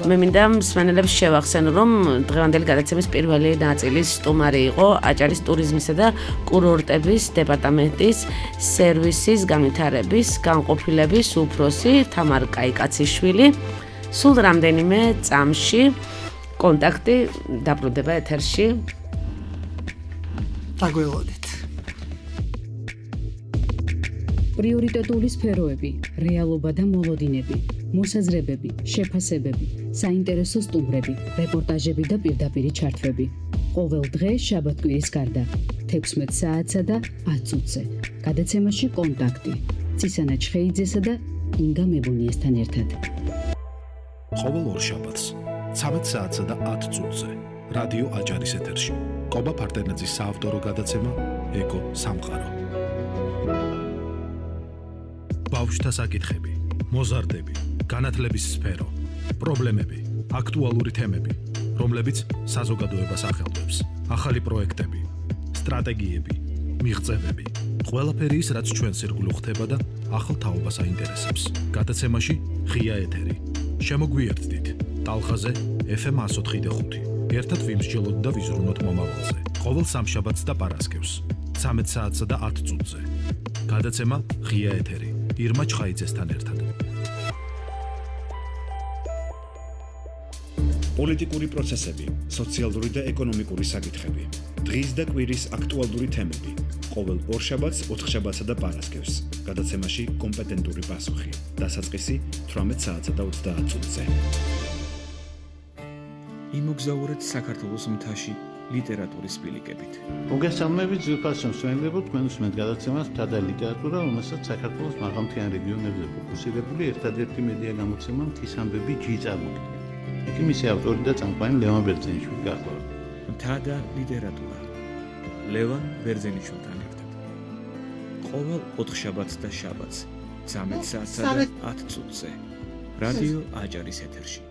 მე მინდა მსმენელებს შევახსენო, რომ დღევანდელი გადაცემის პირველი ნაწილის სტუმარი იყო აჭარის ტურიზმისა და კურორტების დეპარტამენტის სერვისის განვითარების განყოფილების უფროსი თამარ კაიკაციშვილი. სულ რამდენიმე წამში კონტაქტი დაბრუნდება ეთერში. დაგველოდეთ. პრიორიტეტული სფეროები, რეალობა და მოლოდინები, მოსაზრებები, შეფასებები, საინტერესო სტუმრები, რეპორტაჟები და პირდაპირი ჩართვები. ყოველ დღე შაბათ-კვირის გარდა თექვსმეტ საათსა და ათ წუთზე. გადაცემაში კონტაქტი ცისანა ჩხეიძესა და ინგა მებუნიესთან ერთად. ყოველ ორ შაბათს ცამეტ საათსა და ათ წუთზე რადიო აჭარის ეთერში კობა ფარტენაძის საავტორო გადაცემა ეკო სამყარო. ბავშვთა საკითხები, მოზარდები, განათლების სფერო, პრობლემები, აქტუალური თემები, რომლებიც საზოგადოებას ახელვებს, ახალი პროექტები, სტრატეგიები, მიღწევები, ყველაფერი ის, რაც ჩვენს ირგვლივ ხდება და ახალ თაობას აინტერესებს. გადაცემაში ღია ეთერი. შემოგვიერთდით ტალღაზე ეფ ემ εκατო ოთხი და ხუთი. ერთად ვიმსჯელოთ და ვიზრუნოთ მომავალზე. ყოველ სამშაბათს და პარასკევს ცამეტ საათსა და ათ წუთზე. გადაცემა ღია ეთერი. ირმა ჩხაიძესთან ერთად. პოლიტიკური პროცესები, სოციალური და ეკონომიკური საკითხები, დღის და კვირის აქტუალური თემები. ყოველ ორშაბათს, ოთხშაბათსა და პარასკევს. გადაცემაში კომპეტენტური პასუხი. დასაწყისი თვრამეტ საათსა და ოცდაათ წუთზე. იმოგზაურეთ საქართველოს მთაში ლიტერატურის ბილიკებით. მოგესალმებით, ძვირფას შემსვენებლებო, თქვენ უსმენთ გადაცემას მთა და ლიტერატურა, რომელსაც საქართველოს მაღალმთიან რეგიონებზე ფოკუსირებული ერთადერთი მედია გამოცემა მთის ამბები ჯი წარმოგიდგენს. იქ მისი ავტორი და წამყვანი ლევან ბერძენიშვილი გახლავთ. მთა და ლიტერატურა. ლევან ბერძენიშვილთან ერთად. ყოველ ოთხშაბათს და შაბათს ცამეტ საათსა და ათ წუთზე. რადიო აჭარის ეთერში.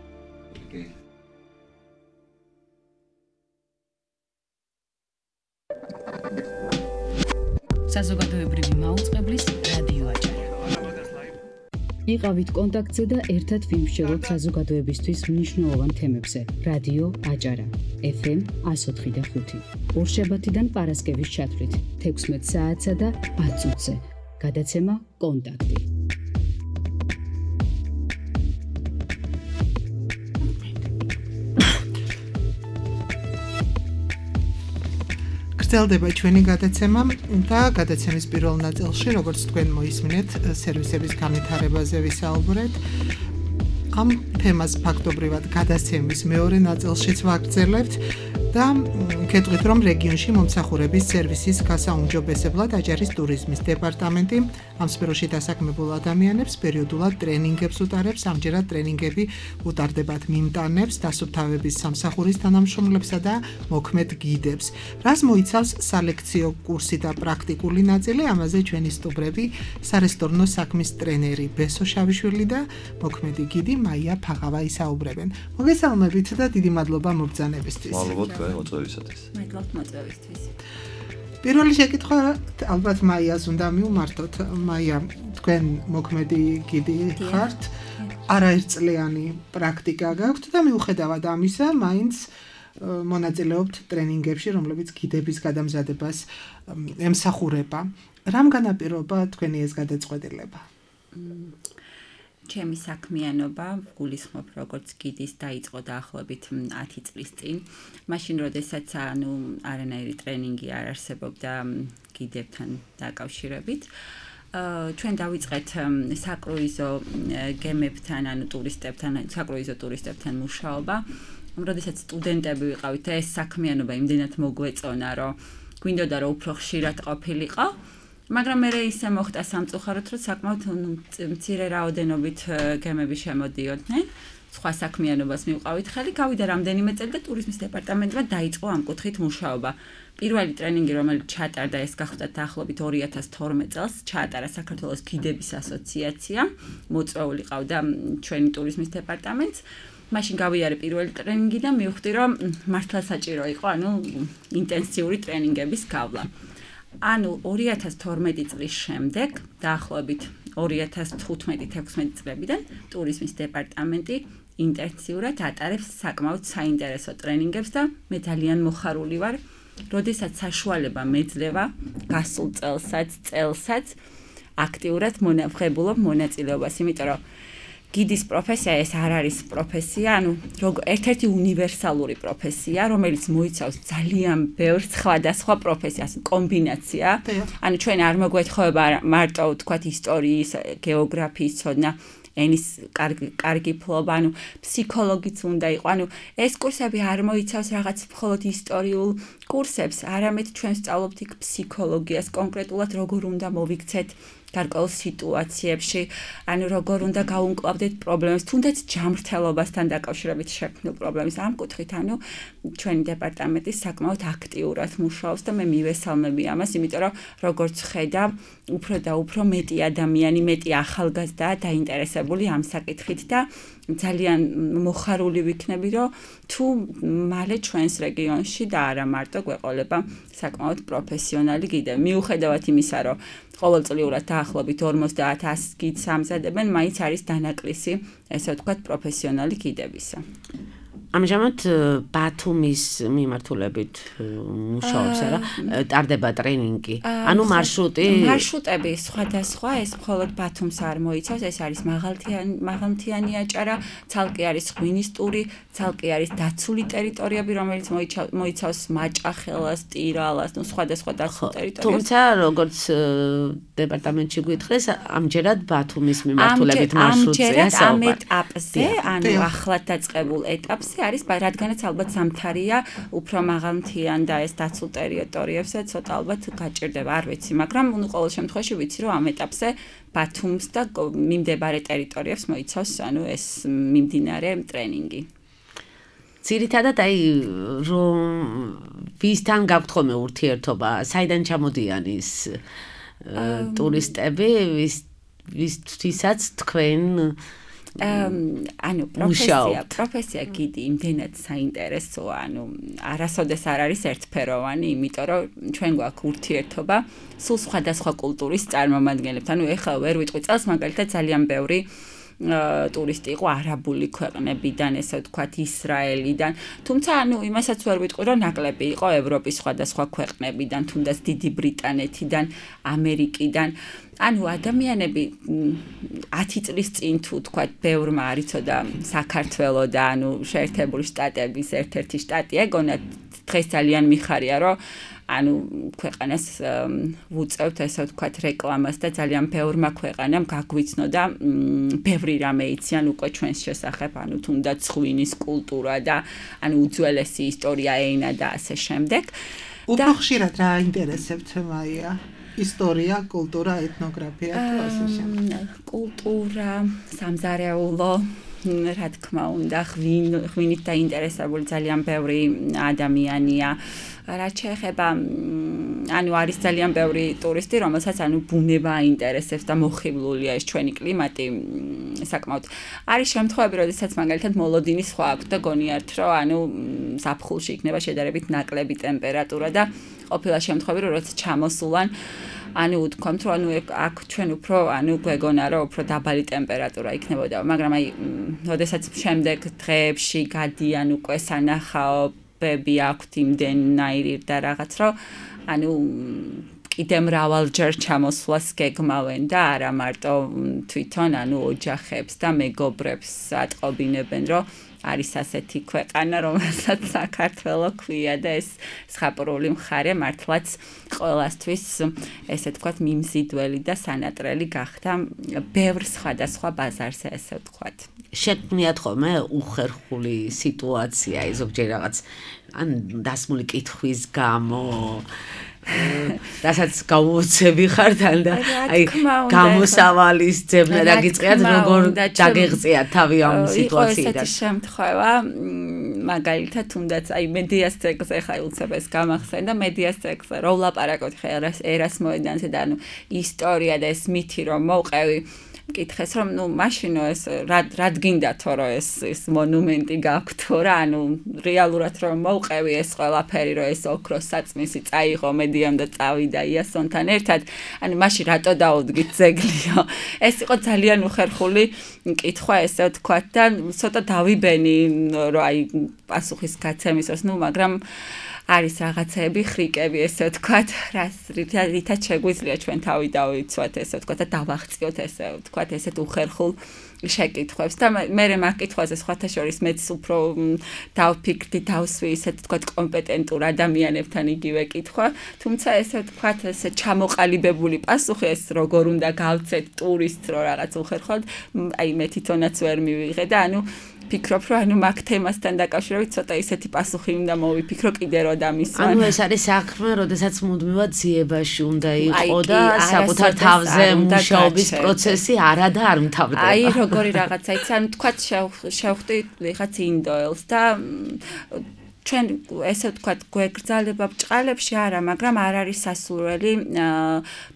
საზოგადოებრივი მაუწყებლის რადიო აჭარა. იყავით კონტაქტზე და ერთად ვიმსჯელოთ საზოგადოებისთვის მნიშვნელოვან თემებზე. რადიო აჭარა. ეფ ემ εκατო ოთხი და ხუთი. ორშაბათიდან პარასკევის ჩათვლით თექვსმეტ საათსა და ათ წუთზე. გადაცემა კონტაქტი. გრძელდება ჩვენი გადაცემა და გადაცემის პირველ ნაწილში, როგორც თქვენ მოისმინეთ, სერვისების განვითარებაზე ვისაუბრეთ. ამ თემას ფაქტობრივად გადაცემის მეორე ნაწილშიც ვაგრძელებთ და გეტყვით, რომ რეგიონში მომსახურების სერვისის გასაუმჯობესებლად აჭარის ტურიზმის დეპარტამენტი ამ სფეროში დასაქმებულ ადამიანებს პერიოდულად ტრენინგებს უტარებს. ამჯერად ტრენინგები უტარდებათ მიმტანებს, დასუფთავების სამსახურის თანამშრომლებსა და მოქმედ გიდებს. რას მოიცავს სალექციო კურსი და პრაქტიკული ნაწილი? ამაზე ჩვენი სტუმრები, სარესტორნო საქმის ტრენერი ბესო შავიშვილი და მოქმედი გიდი მაია ფაღავა ისაუბრებენ. მოგესალმებით და დიდი მადლობა მობრძანებისთვის. მადლობთ მოწვევისათვის. მადლობთ მოწვევისთვის. პირველი შეკითხვა ალბათ მაიას უნდა მივმართოთ. მაია, თქვენ მოქმედი გიდი ხართ, არაერთწლიანი პრაქტიკა გაქვთ და მიუხედავად ამისა, მაინც მონაწილეობთ ტრენინგებში, რომლებიც გიდების გადამზადებას ემსახურება. რამ განაპირობა თქვენი ეს გადაწყვეტილება? ჩემი საქმიანობა გულისხმობ როგორც გიდის დაიწყო დაახლოებით ათი წლის წინ. მაშინ როდესაც ანუ არანაირი ტრენინგი არ არსებობდა გიდებთან დაკავშირებით. ჩვენ დავიწყეთ საკრუიზო გემებთან, ანუ ტურისტებთან, საკრუიზო ტურისტებთან მუშაობა. როდესაც სტუდენტები ვიყავით, ეს საქმიანობა იმდენად მოგვეწონა, რომ გვინდოდა რომ უფრო ხშირად ყოფილიყო. მაგრამ მე ისე მოხდა სამწუხაროდ, რომ საკმაოდ მცირე რაოდენობით გემები შემოდიოდნენ. სხვა საქმიანობას მივყავით ხელი, გავიდა რამდენიმე წელი და ტურიზმის დეპარტამენტმა დაიწყო ამ კუთხით მუშაობა. პირველი ტრენინგი, რომელიც ჩაატარდა, ეს გახდა დაახლოებით ორი ათას თორმეტ წელს, ჩაატარა საქართველოს გიდების ასოციაცია, მოწვეული ყავდა ჩვენი ტურიზმის დეპარტამენტს. მაშინ გავიარე პირველი ტრენინგი და მივხვდი, რომ მართლა საჭირო იყო, ანუ ინტენსიური ტრენინგების გავლა. ანუ ორი ათას თორმეტი წლის შემდეგ, დაახლოებით ორი ათას თხუთმეტი თექვსმეტი წლებიდან ტურიზმის დეპარტამენტი ინტენსიურად ატარებს საკმაოდ საინტერესო ტრენინგებს და მე ძალიან მოხარული ვარ, როდესაც საშუალება მეძლევა გასულ წელსაც, წელსაც აქტიურად მონახებულობ მონაწილეობას, იმიტომ რომ გიდის პროფესია ეს არ არის პროფესია, ანუ ერთ-ერთი უნივერსალური პროფესია, რომელიც მოიცავს ძალიან ბევრ სხვადასხვა პროფესიას, კომბინაცია. ანუ ჩვენ არ მოგვეთხოვება მარტო თქვათ ისტორიის, გეოგრაფიის ცოდნა, ენის კარგი ფლობა, ანუ ფსიქოლოგიც უნდა იყო. ანუ ეს კურსები არ მოიცავს რაღაც მხოლოდ ისტორიულ კურსებს, არამედ ჩვენ ვსწავლობთ იქ ფსიქოლოგიას, კონკრეტულად როგორ უნდა მოვიქცეთ გარკვეულ სიტუაციებში, ანუ როგორ უნდა გაუმკლავდეთ პრობლემებს, თუნდაც ჯანმრთელობასთან დაკავშირებით შექმნილ პრობლემებს. ამ კუთხით, ანუ ჩვენი დეპარტამენტი საკმაოდ აქტიურად მუშაობს და მე მივესალმები ამას, იმიტომ რომ როგორც ხედავ, უფრო და უფრო მეტი ადამიანი, მეტი ახალგაზრდაა დაინტერესებული ამ საკითხით და ძალიან მოხარული ვიქნები, რომ თუ მალე ჩვენს რეგიონში და არა მარტო გვეყოლება საკმაოდ პროფესიონალი გიდები. მიუხედავად იმისა, რომ ყოველწლიურად დაახლოებით ორმოცდაათ ას გიდს ამზადებენ, მაინც არის დანაკლისი, ესე ვთქვათ, პროფესიონალი გიდებისა. ამჟამად ბათუმის მიმართულებით მუშაობს, არა? ტარდება ტრენინგი. ანუ მარშრუტი მარშრუტები სხვადასხვა, ეს მხოლოდ ბათუმს არ მოიცავს, ეს არის მაღალმთიანი მაღალმთიანი აჭარა, ცალკე არის ღვინის ტური, ცალკე არის დაცული ტერიტორიები, რომელიც მოიცავს მაჭახელას, ტირალას, ნუ სხვადასხვა დაცულ ტერიტორიებს. თუმცა როგორც დეპარტამენტში გითხრეს, ამჯერად ბათუმის მიმართულებით მარშრუტია საუბარი. ამჯერად ამ ეტაპზე, ანუ ახლად დაწყებულ ეტაპზე პროცესი არის, რადგანაც ალბათ ზამთარია, უფრო მაღალმთიან და ეს დაცულ ტერიტორიებზე ცოტა ალბათ გაჭირდება, არ ვიცი, მაგრამ ნუ ყოველ შემთხვევაში ვიცი, რომ ამ ეტაპზე ბათუმს და მიმდებარე ტერიტორიებს მოიცავს, ანუ ეს მიმდინარე ტრენინგი. ძირითადად აი რომ ვისთან გაქვთ ხოლმე ურთიერთობა, საიდან ჩამოდიან ის ტურისტები, ვის ვისთვისაც თქვენ ანუ პროფესია, პროფესია გიდი იმდენად საინტერესოა, ანუ არასოდეს არ არის ერთფეროვანი, იმიტომ რომ ჩვენ გვაქვს ურთიერთობა სულ სხვადასხვა კულტურის წარმომადგენლებთან. ანუ ეხლა ვერ ვიტყვი წელს, მაგალითად ძალიან ბევრი ტურისტი იყო არაბული ქვეყნებიდან, ესე ვთქვათ, ისრაელიდან. თუმცა, ანუ იმასაც ვერ ვიტყვი, რომ ნაკლები იყო ევროპის სხვადასხვა ქვეყნებიდან, თუნდაც დიდი ბრიტანეთიდან, ამერიკიდან. ანუ ადამიანები ათი წლის წინ თუ ვთქვათ, ბევრმა არ იცოდა საქართველო და ანუ შეერთებული შტატების ერთ-ერთი შტატი ეგონა, დღეს ძალიან მიხარია, რომ ანუ ქვეყანას ვუწევთ ესე ვთქვათ რეკლამას და ძალიან ბევრმა ქვეყანამ გაგვიცნო და ბევრი რამე იციან უკვე ჩვენს შესახებ, ანუ თუნდაც ღვინის კულტურა და ანუ უძველესი ისტორია, ენა და ასე შემდეგ. უფრო ხშირად რა ინტერესებთ მაია? ისტორია, კულტურა, ეთნოგრაფია თუ ასე შემდეგ. კულტურა, სამზარეულო, რა თქმა უნდა, ღვინით დაინტერესებული ძალიან ბევრი ადამიანია. რაც შეეხება, ანუ არის ძალიან ბევრი ტურისტი, რომელსაც ანუ ბუნება აინტერესებს და მოხიბლულია ეს ჩვენი კლიმატი საკმაოდ. არის შემთხვევები, როდესაც მაგალითად მოლოდინი სხვა აქვს და გონიათ, რომ ანუ ზაფხულში იქნება შედარებით ნაკლები ტემპერატურა და ყოფილა შემთხვევები, როდესაც ჩამოსულან ანუ ვთქვამთ, რომ ანუ აქ ჩვენ უფრო ანუ გვეგონა, რომ უფრო დაბალი ტემპერატურა იქნებოდა, მაგრამ აი, როდესაც შემდეგ დღეებში გადიან უკვე სანახაობები აქვთ იმდენნაირი და რაღაც, რომ ანუ კიდე მრავალჯერ ჩამოსვლას გეგმავენ და არა მარტო თვითონ ანუ ოჯახებს და მეგობრებს ატყობინებენ, რომ არის ასეთი ქვეყანა, რომელსაც საქართველო ქვია და ეს ზღაპრული მხარე მართლაც ყველასთვის ესე ვთქვათ მიმზიდველი და სანატრელი გახდა ბევრ სხვადასხვა ბაზარზე ესე ვთქვათ. შექმნიათ ხოლმე უხერხული სიტუაცია, ზოგჯერ რაღაც ან დასმული კითხვის გამო რასაც გაუოცები ხართ ან და აი გამოსავალის ძებნა დაგიწყიათ, როგორ დაგეღწიათ თავი ამ სიტუაციიდან. იყო ესეთი შემთხვევა, მაგალითად თუნდაც აი მედიას ციკლზე ხა უცებ ეს გამახსენდა, მედიას ციკლზე რო ვლაპარაკობთ ხა ერას მოედანზე და ანუ ისტორია და ეს მითი რომ მოვყევი მკითხეს რომ ნუ მაშინო ეს რად გინდათო რომ ეს ეს მონუმენტი გაქვთო რა, ანუ რეალურად რომ მოვყევი ეს ყველაფერი რომ ეს ოქროს საწმისი წაიღო მედიამ და წავიდა იასონთან ერთად, ანუ მაშინ რატო დაუდგით ძეგლიო. ეს იყო ძალიან უხერხული მკითხვა ესე ვთქვათ და ცოტა დავიბენი რომ აი პასუხის გაცემისას, ნუ მაგრამ არის რაღაცები, ხრიკები ესე ვთქვათ, რას რითაც შეგვიძლია ჩვენ თავი დავიცვათ ესე ვთქვათ და დავახციოთ ესე ვთქვათ ესეთ უხერხულ შეკითხვებს და მე მაგ კითხვაზე სხვათა შორის მეც უფრო დავფიქრდი, დავსვი ისეთ ვთქვათ კომპეტენტურ ადამიანებთან იგივე კითხვა, თუმცა ესე ვთქვათ ესე ჩამოყალიბებული პასუხი ეს როგორ უნდა გავცეთ ტურისტს რო რაღაც უხერხოდ, აი მე თვითონაც ვერ მივიღე და ანუ ფიქრობ, რომ ანუ მაგ თემასთან დაკავშირებით ცოტა ისეთი პასუხი უნდა მოვიფიქრო კიდე რო დამისვან. ანუ ეს არის საქმე, როდესაც მუდმივად ძიებაში უნდა იყო და საკუთარ თავზე მუშაობის პროცესი არა და არ მთავრდება. აი როგორი რაღაცა იცი, ანუ თქვათ შევხვდი ვიღაც ინდოელს და ჩვენ ესე ვთქვათ გვეგრძალება ბჭყალებში არა, მაგრამ არ არის სასურველი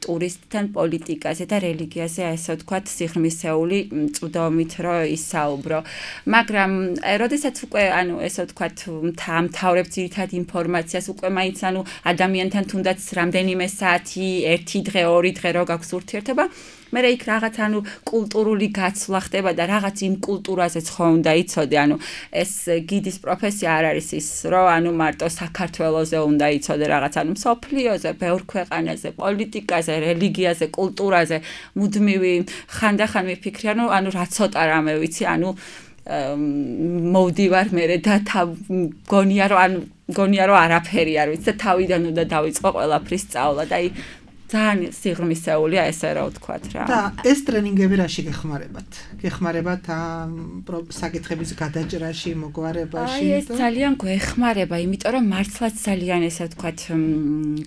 ტურისტთან პოლიტიკაზე და რელიგიაზე ესე ვთქვათ სიღრმისეული წვდომით რო ისაუბრო. მაგრამ როდესაც უკვე ანუ ესე ვთქვათ მთავრებ ძირითად ინფორმაციას უკვე მაინც ანუ ადამიანთან თუნდაც რამდენიმე საათი, ერთი დღე, ორი დღე რო გაქვს ურთიერთობა, მე იქ რაღაც ანუ კულტურული გაცვლა ხდება და რაღაც იმ კულტურაზეც ხო უნდა იცოდე, ანუ ეს გიდის პროფესია არ არის ის, რომ ანუ მარტო საქართველოზე უნდა იცოდე რაღაც, ანუ მსოფლიოზე, ბევრ ქვეყანაზე, პოლიტიკაზე, რელიგიაზე, კულტურაზე მუდმივი ხანდახან მიფიქრი, ანუ ანუ რა ცოტა რამე ვიცი, ანუ მოვდივარ მე და გონია რომ ანუ გონია რომ არაფერი არ ვიცი და თავიდან უნდა დავიწყო ყველაფრის სწავლა და აი ძალიან სიღრმისეულია ესე რა ვთქვათ რა. და ეს ტრენინგები რაში გეხმარებათ? გეხმარებათ ამ საკითხების გადაჭრაში, მოგვარებაში? აი ეს ძალიან გვეხმარება, იმიტომ რომ მართლაც ძალიან ესე ვთქვათ,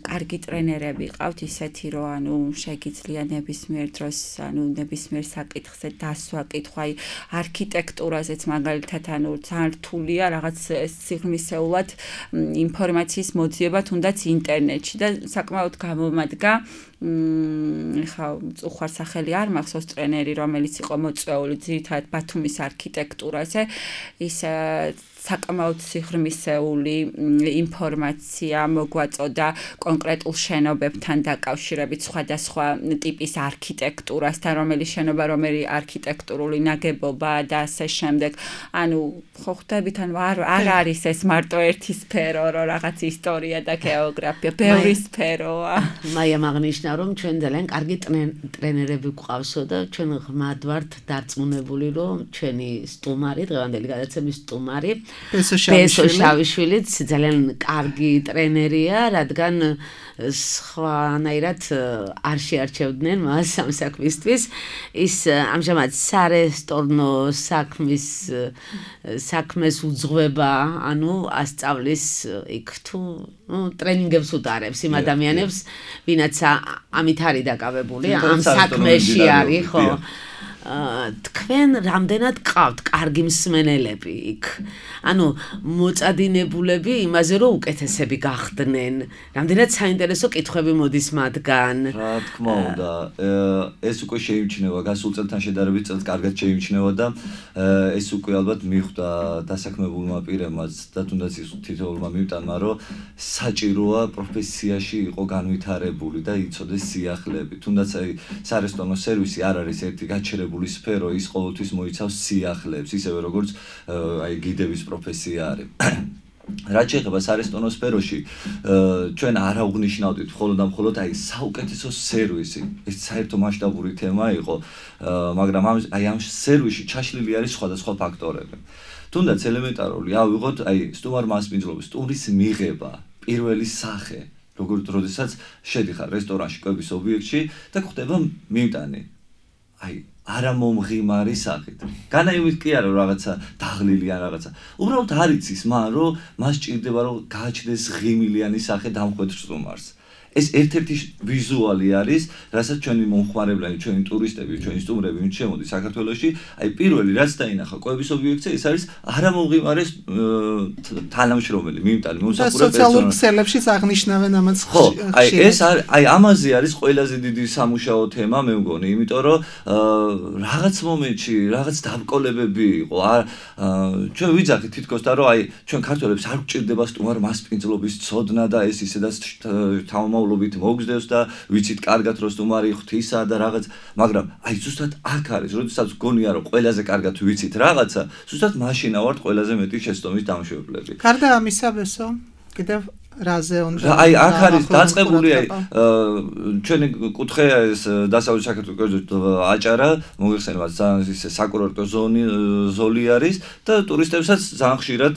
კარგი ტრენერები ყავთ ისეთი, რომ ანუ შეგიძლია ნებისმიერ დროს, ანუ ნებისმიერ საკითხზე დასვა, კითხვა, აი არქიტექტურაზეც მაგალითად, ანუ ძალიან რთულია რაღაც სიღრმისეულად ინფორმაციის მოძიება თუნდაც ინტერნეტში და საკმაოდ გამომადგა ხა უხარ სახელი არ მახსოვს ტრენერი რომელიც იყო მოწვეული ძირითადად ბათუმის არქიტექტურაზე ის საკმაოდ სიღრმისეული ინფორმაცია მოგვაწოდა კონკრეტულ შენობებთან დაკავშირებით სხვადასხვა ტიპის არქიტექტურასთან რომელიც შენობა რომელი არქიტექტურული ნაგებობა და ასე შემდეგ ანუ ხო ხვდებით ანუ არ არ არის ეს მარტო ერთი სფერო რომ რაღაც ისტორია და გეოგრაფია ბევრი სფეროა მაია აღნიშნა რომ ჩვენ ძალიან კარგი ტრენერები გვყავსო და ჩვენ ღმად ვართ დარწმუნებული რომ ჩვენი სტუმარი დღევანდელი გადაცემის სტუმარი პესო შავიშვილიც ძალიან კარგი ტრენერია, რადგან სხვანაირად არ შეარჩევდნენ მას ამ საქმისთვის. ის ამჟამად სარესტორნო საქმის საქმეს უძღვება, ანუ ასწავლის იქ თუ ნუ ტრენინგებს უტარებს იმ ადამიანებს, ვინაც ამით არის დაკავებული, ამ საქმეში არის, ხო? თქვენ რამდენად ყავთ კარგი მსმენელები იქ? ანუ მოწადინებულები იმაზე რომ უკეთესები გახდნენ. რამდენად საინტერესო კითხვები მოდის მათგან? რა თქმა უნდა, ეს უკვე შეიმჩნევა გასულ წელთან შედარებით წელს კარგად შეიმჩნევა და ეს უკვე ალბათ მიხვდა დასაქმებულმა პირებმაც და თუნდაც ის თითოეულმა მიმტანმა რომ საჭიროა პროფესიაში იყო განვითარებული და იცოდეს სიახლეები. თუნდაც აი სარესტორნო სერვისი არ არის ერთი გაჩერებული სფერო ის ყოველთვის მოიცავს სიახლეებს ისევე როგორც აი გიდების პროფესია არის. რაც შეეხება სარესტორნო სფეროში ჩვენ არ აღვნიშნავდით მხოლოდ და მხოლოდ აი საუკეთესო სერვისი ეს საერთო მასშტაბური თემა იყო მაგრამ აი ამ სერვისში ჩაშლილი არის სხვადასხვა ფაქტორები. თუნდაც ელემენტარული ავიღოთ აი სტუმარ მასპინძლობის ტურის მიღება პირველი სახე როგორც როდესაც შედიხარ რესტორანში კვების ობიექტში და გვხდება მიმტანი აი არა მომღიმარი სახით. განაიმით კი არა რაღაცა დაღლილი ან რაღაცა. უბრალოდ არ იცის მან რომ მას ჭირდება რომ გააჩნდეს ღიმილიანი სახე დამხვედრ სტუმარს. ეს ერთ-ერთი ვიზუალი არის, რასაც ჩვენი მომხმარებლები, ჩვენი ტურისტები, ჩვენი სტუმრები ვინც შემოდის საქართველოში, აი პირველი რაც დაინახა კვების ობიექტზე, ეს არის არა მომღიმარე თანამშრომელი, მიმტანი, მომსახურე პერსონალი. სოციალურ ქსელებშიც აღნიშნავენ ამას. ხო, აი ეს აი ამაზე არის ყველაზე დიდი სამუშაო თემა, მე მგონი, იმიტომ რომ რაღაც მომენტში რაღაც დამკოლებები იყო. ჩვენ ვიძახით თითქოს და რომ აი ჩვენ ქართველებს არ გვჭირდება სტუმარ მასპინძლობის ცოდნა და ეს ისედაც თავმოყრობით მოგზდევს და ვიცით კარგად რომ სტუმარი ღვთისა და რაღაც, მაგრამ აი ზუსტად აქ არის, როდესაც გონია რომ ყველაზე კარგად ვიცით რაღაცა, ზუსტად მაშინა ვართ ყველაზე მეტი შეცდომის დამშვენებლები. გარდა ამისა, ბესო, კიდევ რაზე უნდა აი აქ არის დაწყებული აი ჩვენი კუთხე ეს დასავლეთ საქართველოს აჭარა მოიხსენებათ ძალიან ისე საკურორტო ზონი ზოლი არის და ტურისტებსაც ძალიან ხშირად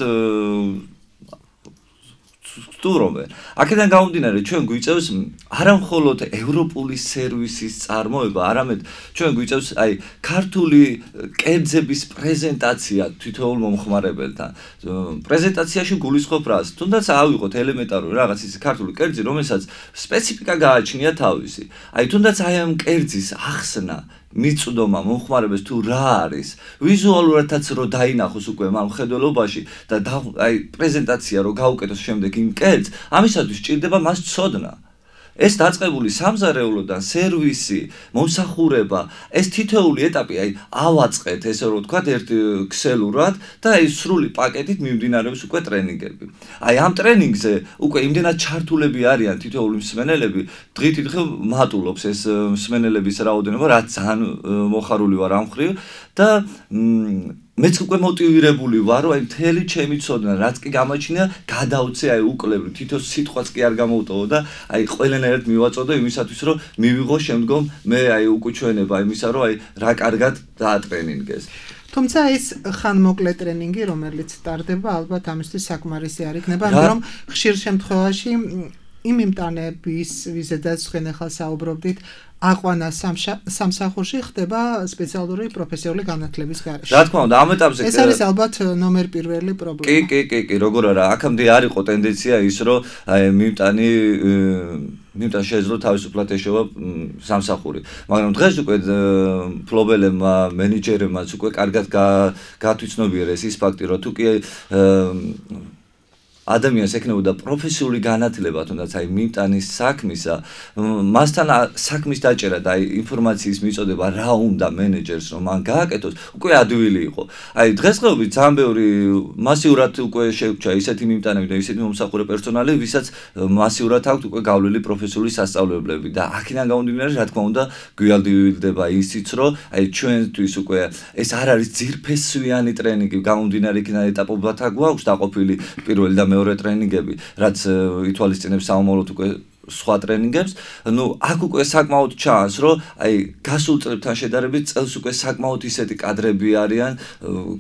სტუმრობენ. აქედან გამომდინარე ჩვენ გვიწევს არა მხოლოდ ევროპული სერვისის წარმოება, არამედ ჩვენ გვიწევს აი ქართული კერძების პრეზენტაცია თითოეულ მომხმარებელთან. პრეზენტაციაში გულისხმობ რას? თუნდაც ავიღოთ ელემენტარული რაღაც ის ქართული კერძი, რომელსაც სპეციფიკა გააჩნია თავისი. აი თუნდაც აი ამ კერძის ახსნა მიწვდომა მომხმარებელს თუ რა არის ვიზუალურადაც რო დაინახოს უკვე ამ მხედველობაში და აი პრეზენტაცია რო გაუკეთოს შემდეგ იმ კერძს ამისათვის ჭირდება მას ცოდნა ეს დაწყებული სამზარეულოდან სერვისი მომსახურება ეს თითოეული ეტაპი აი ავაწყეთ ესე რომ ვთქვათ ერთ ქსელურად და აი სრული პაკეტით მიმდინარეობს უკვე ტრენინგები აი ამ ტრენინგზე უკვე იმდენად ჩართულები არიან თითოეული მსმენელები დღით დღე მატულობს ეს მსმენელების რაოდენობა რაც ძალიან მოხარული ვარ ამ ხრივ და მეც უკვე მოტივირებული ვარ, რომ აი მთელი ჩემი ცოდნა, რაც კი გამაჩნია, გადავწე აი უკლებლივ, თითო სიტყვაც კი არ გამოვტოვო და აი ყველანაირად მივაწოდო იმისათვის, რომ მივიღო შემდგომ მე აი უკუჩვენება იმისა, რომ აი რა კარგად დაატრენინგეს. თუმცა ეს ხანმოკლე ტრენინგი, რომელიც ტარდება, ალბათ ამისთვის საკმარისი არ იქნება, მაგრამ ხშირ შემთხვევაში იმ იმტანების ვიზედაც ხენ ახლა საუბრობდით აყვანა სამსახურში ხდება სპეციალური პროფესიული განათლების გარეშე. რა თქმა უნდა, ამ ეტაპზე ეს არის ალბათ ნომერ პირველი პრობლემა. კი, კი, კი, კი, როგორ არა, აქამდე არ იყო ტენდენცია ის, რომ აი მიმტანი მიმტან შეეძლო თავისუფლად ეშოვა სამსახური. მაგრამ დღეს უკვე ფლობელებმა, მენეჯერებმაც უკვე კარგად გათვითცნობიერეს ის ფაქტი, რომ თუ კი ადამიანს ექნებოდა პროფესიული განათლება, თუნდაც აი მიმტანის საქმისა, მასთან საქმის დაჭერა და აი ინფორმაციის მიწოდება რა უნდა მენეჯერს რომ მან გააკეთოს, უკვე ადვილი იყო. აი დღესდღეობით ძალიან ბევრი მასიურად უკვე შეგვჭა ისეთი მიმტანები და ისეთი მომსახურე პერსონალი, ვისაც მასიურად აქვს უკვე გავლილი პროფესიული სასწავლებლები და აქედან გამომდინარე, რა თქმა უნდა, გვიალდილდება ისიც, რომ აი ჩვენთვის უკვე ეს არ არის ძირფესვიანი ტრენინგი, გამომდინარე იქიდან ეტაპობად გვაქვს დაყოფილი პირველი და მეორე ტრენინგები, რაც ითვალისწინებს საომაროდ უკვე სხვა ტრენინგებს, ну, აქ უკვე საკმაოდ ჩანს, რომ აი გასულ წლებთან შედარებით წელს უკვე საკმაოდ ისეთი კადრები არიან,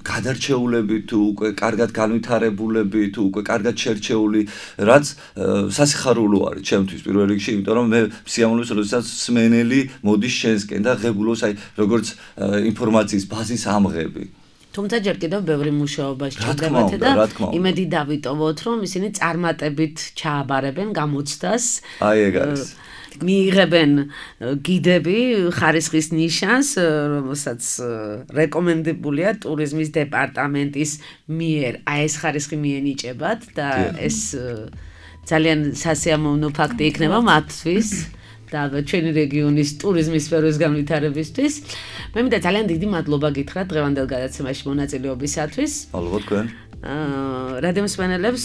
გადარჩეულები თუ უკვე კარგად განვითარებულები, თუ უკვე კარგად შერჩეული, რაც სასიხარულო არის ჩემთვის პირველ რიგში, იმიტომ რომ მე სიამოვნებს, როდესაც სმენელი მოდის შენსკენ და ღებულობს აი როგორც ინფორმაციის ბაზის ამღები. თუმცა ჯერ კიდევ ბევრი მუშაობა სჭირდებათ და იმედი დავიტოვოთ, რომ ისინი წარმატებით ჩააბარებენ გამოცდას. აი ეგ არის. მიიღებენ გიდები ხარისხის ნიშანს, რომელსაც რეკომენდებულია ტურიზმის დეპარტამენტის მიერ. აი ეს ხარისხი მიენიჭებათ და ეს ძალიან სასიამოვნო ფაქტი იქნება მათთვის. და ჩვენი რეგიონის ტურიზმის სფეროს განვითარებისთვის. მე მინდა ძალიან დიდი მადლობა გითხრათ დღევანდელ გადაცემაში მონაწილეობისათვის. ალბათ თქვენ. აა რადიო მსმენელებს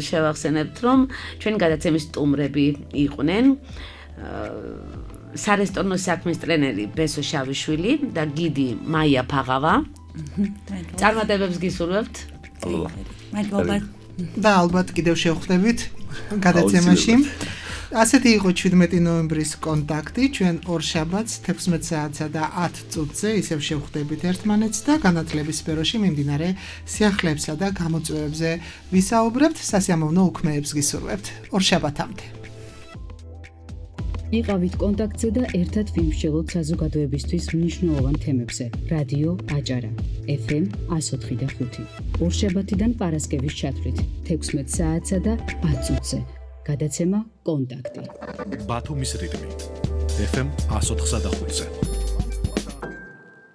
შევახსენებთ, რომ ჩვენი გადაცემის სტუმრები იყვნენ აა სარესტორნო საქმის ტრენერი ბესო შავიშვილი და გიდი მაია ფაღავა. წარმატებებს გისურვებთ. მადლობა. და ალბათ კიდევ შევხვდებით გადაცემაში. ასეთი იყო შვიდმეტი ნოემბრის კონტაქტი, ჩვენ ორშაბათს თექვსმეტ საათსა და ათ წუთზე ისევ შევხვდებით ერთმანეთს და განათლების სფეროში მიმდინარე სიახლეებსა და გამოწვევებზე ვისაუბრებთ, სასიამოვნო უქმეებს გისურვებთ. ორშაბათამდე. იყავით კონტაქტზე და ერთად ვიმსჯელოთ საზოგადოებისთვის მნიშვნელოვან თემებზე. რადიო აჭარა, ეფ ემ εκατო ოთხი და ხუთი. ორშაბათიდან პარასკევის ჩათვლით თექვსმეტ საათსა და ათ წუთზე. გადაცემა კონტაქტი. ბათუმის რიტმი. ეფ ემ εκατო ოთხი და ხუთზე.